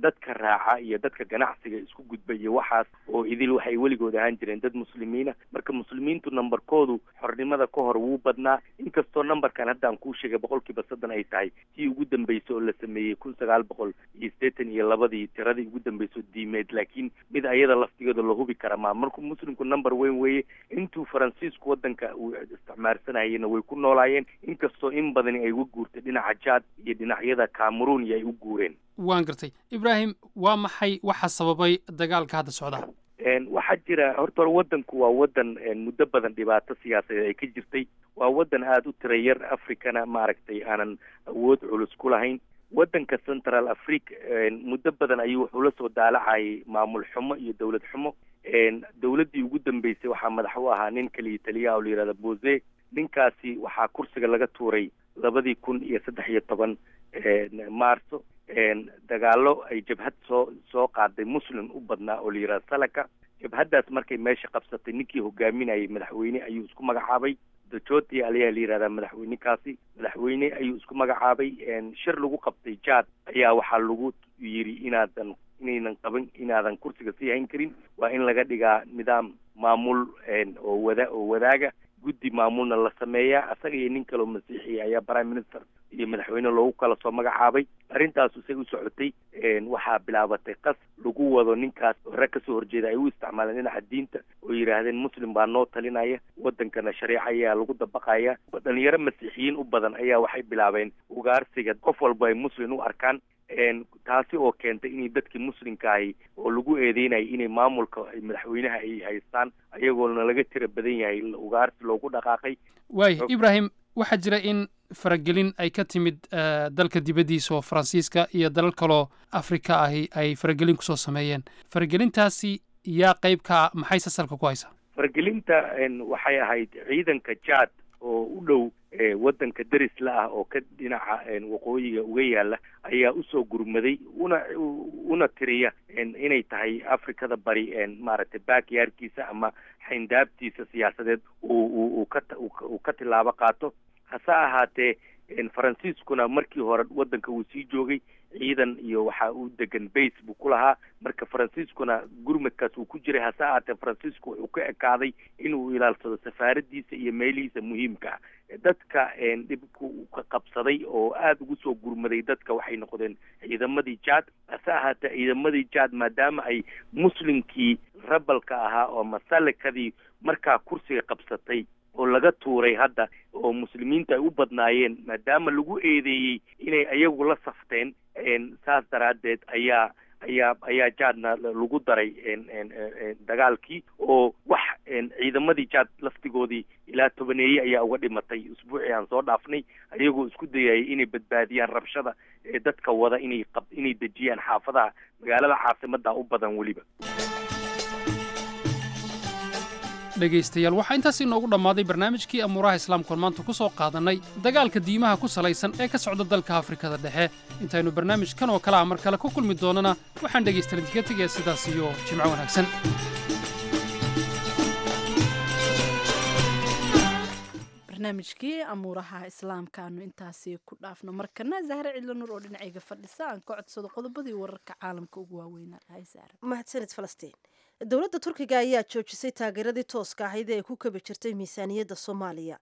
dadka raaca iyo dadka ganacsiga isku gudba iyo waxaas oo idil waxay weligood ahaan jireen dad Muslimiina. Marka Muslimiintu numberkoodu xornimada ka hor wuu badnaa, inkastoo numberkan hadda aan kuu sheegay 30% ay tahay tii ugu dambeysay oo la sameeyey 1982-dii, tiradii ugu dambeysay diimeed, laakiin mid ayada laftigeeda la hubi kara maa. Markuu Muslimku number weyn weeye. Intuu Faransiisku wadanka uu isticmaarsanayena way ku noolaayeen, inkastoo in badani ay uga guurtay dhinaca Jad iyo dhinacyada Cameroon iyo ay u guureen.
Waan gartay. Ibraahim, waa maxay waxa sababay dagaalka hadda socda?
Waxaa jira, horta hore wadanku waa wadan muddo badan dhibaato siyaasadeed ay ka jirtay. Waa wadan aada u tira yar, Africana maaragtay aanan awood culus ku lahayn. Wadanka Central Africa muddo badan ayuu wuxuu la soo daalacayay maamul xumo iyo dowlad xumo. Dowladdii ugu dambeysay waxaa madax u ahaa nin kaliya taliyaha oo la yihahda Bozizé. Ninkaasi waxaa kursiga laga tuuray 2013 Maarso, dagaalo ay jabhad soo qaaday Muslim u badnaa oo la yihahda Salaka. Jabhaddaas markay meesha qabsatay, ninkii hogaaminayay madaxweyne ayuu isku magacaabay. Djotodie ayaa la yihahdaa madaxweynekaasi. Madaxweyne ayuu isku magacaabay. Shir lagu qabtay Jad ayaa waxaa lagu yiri inaynan qaban, inaadan kursiga sii hayn karin, waa in laga dhigaa nidaam maamul oo wada oo wadaaga, guddi maamulna la sameeyaa. Asaga iyo nin kaleo Masiixiya ayaa prime minister iyo madaxweyne loogu kala soo magacaabay. Arrintaas isay u socotay, waxaa bilaabatay qas lagu wado ninkaas. Rag kasoo horjeeda ay u isticmaaleen dhinaca diinta oo yidhaahdeen Muslim baa noo talinaya, wadankana shareeca ayaa lagu dabaqaya. Dhalinyaro Masiixiyiin u badan ayaa waxay bilaabeen ugaarsiga qof walba ay Muslim u arkaan, taasi oo keentay inay dadkii Muslimka ahi oo lagu eedeynayay inay maamulka madaxweynaha ay haystaan, ayagoona laga tira badan yahay, ugaarsi loogu dhaqaaqay.
Waay Ibraahim, waxaa jira in faragelin ay ka timid dalka dibaddiisa, oo Faransiiska iyo dalal kaloo Afrika ahi ay faragelin kusoo sameeyeen. Faragelintaasi yaa qayb ka ah? Maxay sasalka ku haysaa?
Faragelinta waxay ahayd ciidanka Jad oo u dhow wadanka deris la ah oo ka dhinaca waqooyiga uga yaala ayaa usoo gurmaday, una tiriya inay tahay Afrikada Bari maaragtay backyardkiisa ama xayndaabtiisa siyaasadeed uu ka tilaabo qaato. Hase ahaatee, Faransiiskuna markii hore wadanka uu sii joogay, ciidan iyo waxa uu degan base buu ku lahaa. Marka Faransiiskuna gurmadkaas uu ku jiray. Hase ahaatee, Faransiisku wuxuu ka ekaaday inuu ilaalsado safaaradiisa iyo meelihiisa muhiimka ah. Dadka dhibku ka qabsaday oo aada ugu soo gurmaday dadka waxay noqdeen ciidamadii Jad. Hase ahaatee, ciidamadii Jad, maadaama ay Muslimkii rebelka ahaa oo masalikadii markaa kursiga qabsatay oo laga tuuray hadda oo Muslimiinta ay u badnaayeen, maadaama lagu eedeeyey inay ayagu la safteen, saas daraaddeed ayaa Jaadna lagu daray dagaalkii, oo wax ciidamadii Jaad laftigoodii ilaa tobaneeye ayaa uga dhimatay usbuucii aan soo dhaafnay, ayagoo isku dayayay inay badbaadiyaan rabshada ee dadka wada, inay dejiyaan xaafadaha magaalada caasimada u badan weliba.
Dhegaystayaal, waxaa intaas inoogu dhammaaday barnaamijkii Amuuraha Islaamkoon maanta ku soo qaadannay dagaalka diimaha ku salaysan ee ka socda dalka Afrikada Dhexe. Intaynu barnaamijkan oo kale ah mar kale ku kulmi doonana, waxaan dhegaystayaal idinkaga tegaya sidaas iyo jimco wanaagsan.
Barnaamijkii Amuuraha Islaamka aanu intaasi ku dhaafno. Markana Zahre Cidlo Nur oo dhinacayga fadhisa aan ka codsado qodobadii wararka caalamka ugu waaweynaa. Hay Zahre.
Mahadsanid Falastiin. Dowladda Turkiga ayaa joojisay taageeradii tooska ahayd ee ay ku kabi jirtay miisaaniyadda Soomaaliya.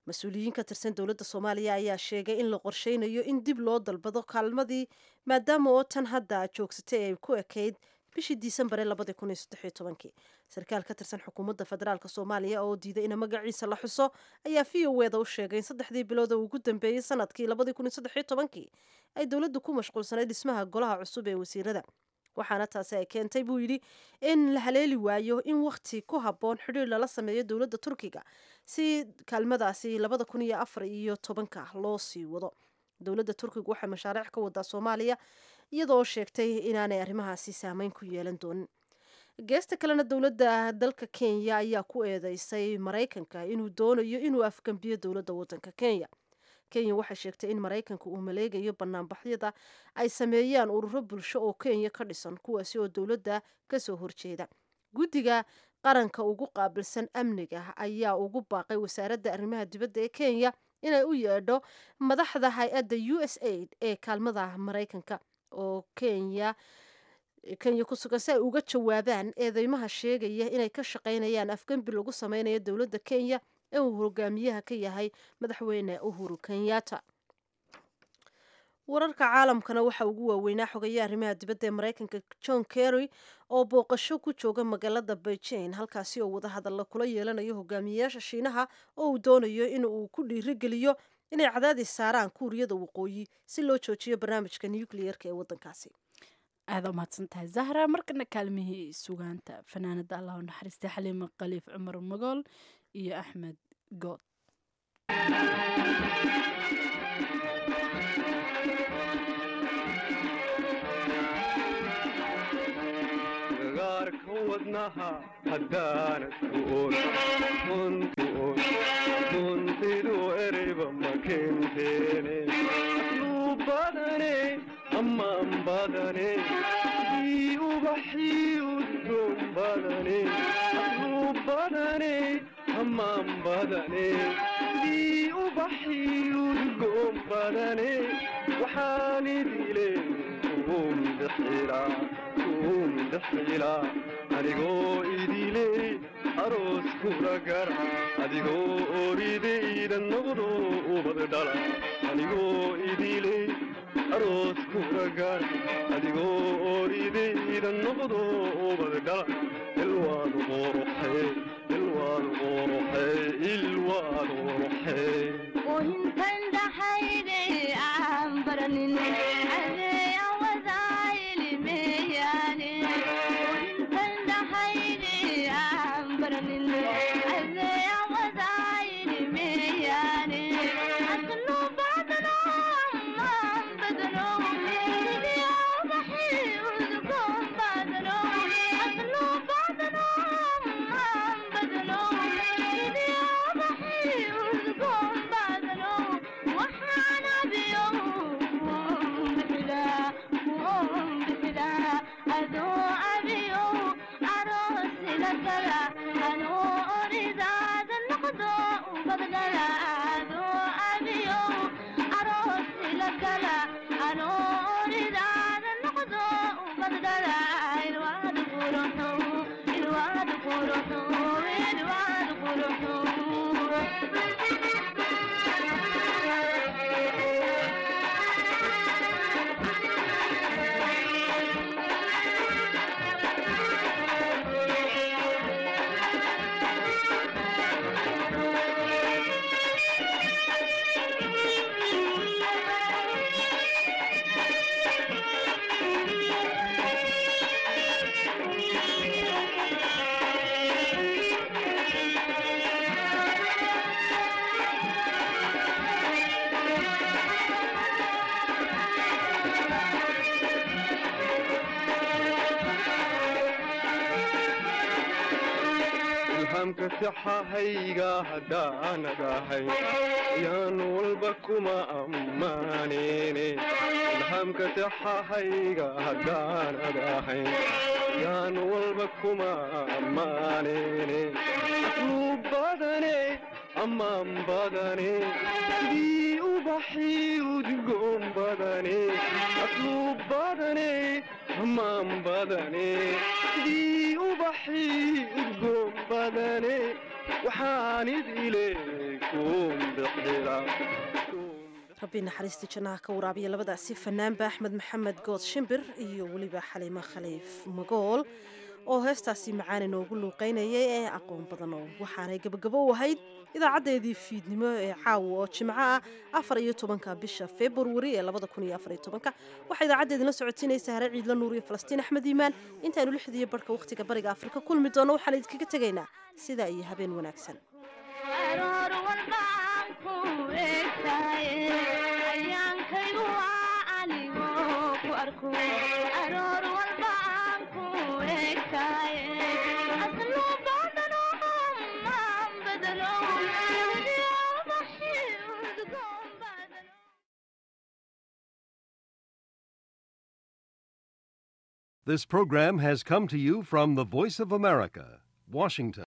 Mas-uuliyiin ka tirsan dowladda Soomaaliya ayaa sheegay in la qorsheynayo in dib loo dalbado kaalmadii, maadaama oo tan hadda joogsatay ay ku ekayd bishii Disembar ee 2013-kii. Sarkaal ka tirsan xukuumadda federaalka Soomaaliya oo diiday in magaciisa la xuso ayaa VOA-da u sheegay in 3-dii bilood oo ugu dambeeyey sanadkii 2013-kii ay dowladdu ku mashquulsanayd dhismaha golaha cusub ee wasiirada, waxaana taasi ay keentay, buu yidhi, in la haleeli waayo in wakhti ku habboon xidhiir lala sameeyo dowladda Turkiga si kaalmadaasi 2014-ka loo sii wado. Dowladda Turkiga waxay mashaariic ka wadaa Soomaaliya, iyadoo sheegtay inaanay arrimahaasi saameyn ku yeelan doonin. Geesta kalena, dowladda dalka Kenya ayaa ku eedeysay Maraykanka inuu doonayo inuu afgambiyo dowladda wadanka Kenya. Kenya waxay sheegtay in Maraykanka uu maleegayo banaanbaxyada ay sameeyaan ururo bulsho oo Kenya ka dhisan, kuwaasi oo dowladda kasoo horjeeda. Guddiga qaranka ugu qaabilsan amniga ayaa ugu baaqay wasaaradda arrimaha dibadda ee Kenya inay u yeedho madaxda hay-adda USAID ee kaalmada Maraykanka oo Kenya ku sugan si ay uga jawaabaan eedeymaha sheegaya inay ka shaqaynayaan afgembi lagu sameynayo dowladda Kenya ee uu hogaamiyaha ka yahay Madaxweyne Uhuru Kenyatta. Wararka caalamkana waxaa ugu waaweynaa xogayaha arrimaha dibadda ee Maraykanka John Kerry oo booqasho ku jooga magaalada Beijing, halkaasi oo wadahadalla kula yeelanayo hogaamiyeyaasha Shiinaha oo uu doonayo in uu ku dhiirigeliyo inay cadaadis saaraan Kuuriyada Waqooyi si loo joojiyo barnaamijka nuclearka ee wadankaasi.
Aada u mahadsantahay, Zahra. Markana kaalmihii sugaanta, fanaanada Allah u naxariistay Xaliima Khaliif Cumar Magool iyo Axmed Good.
Gaarka wadnaha haddaanad ku oon runtu oon runtidu ereyba ma keenteene asluub badane, ammaan badane, ii ubaxii udgoon badane, asluub badane, ammaan badane, ii ubaxii udgoon badane, waxaan idile kuun bixilaa, kuun bixilaa, anigoo idile aroos kula gara, adigoo oridayda noqdo ubad dhala, anigoo idile aroos kula gara, adigoo oridayda noqdo ubad dhala. Ilwaad quruxee, ilwaad quruxee, ilwaad quruxee.
Oohintan dhaxayde aan baranin adee awadaaylimeyaane. Oohintan dhaxayde aan baranin adee awadaaylimeyaane. Aslu badano, ammaan badano, sidii ubaxii udgoon badano. Aslu badano, ammaan badano, sidii ubaxii udgoon badano, waxaan abiyo kuun bixilaa, adoo abiyo aroos ila gala, anoo oridaada noqdo ubad dhala, adoo abiyo aroos ila gala, anoo oridaada noqdo ubad dhala. Ilwaad quruxo, ilwaad quruxo, ilwaad quruxo.
Ilhaamka saxahayga haddaanad ahay yaan walba kuma ammaanene. Ilhaamka saxahayga haddaanad ahay yaan walba kuma ammaanene. Asluub badane, ammaan badane, sidii ubaxii udgoon badane, asluub badane, ammaan badane, sidii ubaxii udgoon badane, waxaan idile kuun bixila.
Rabbi naxariistii jannaha ka waraabiya labadaasi fanaanba, Axmed Maxamed Good Shimbir iyo weliba Xaliimo Khaliif Magool oo heestaasi macaan inoogu luuqeynayay ee aqoon badan, oo waxaanay gabagabo u ahayd idaacadeedii fiidnimo ee caawa oo Jimco ah, 14-ka bisha Februari ee 2014-ka. Waxaa idaacadeedina socotiinaysa Hare Ciidla Nuur iyo Falastiin Axmed Iimaan. Intaanu 6:30 wakhtiga Bariga Afrika kulmi doono, waxaan idinkaga tegaynaa sidaa iyo habeen wanaagsan.
Aroor walba aan ku eegtaye, ayaankaygu waa anigoo ku arko. Aroor walba aan ku eegtaye.
This program has come to you from the Voice of America, Washington.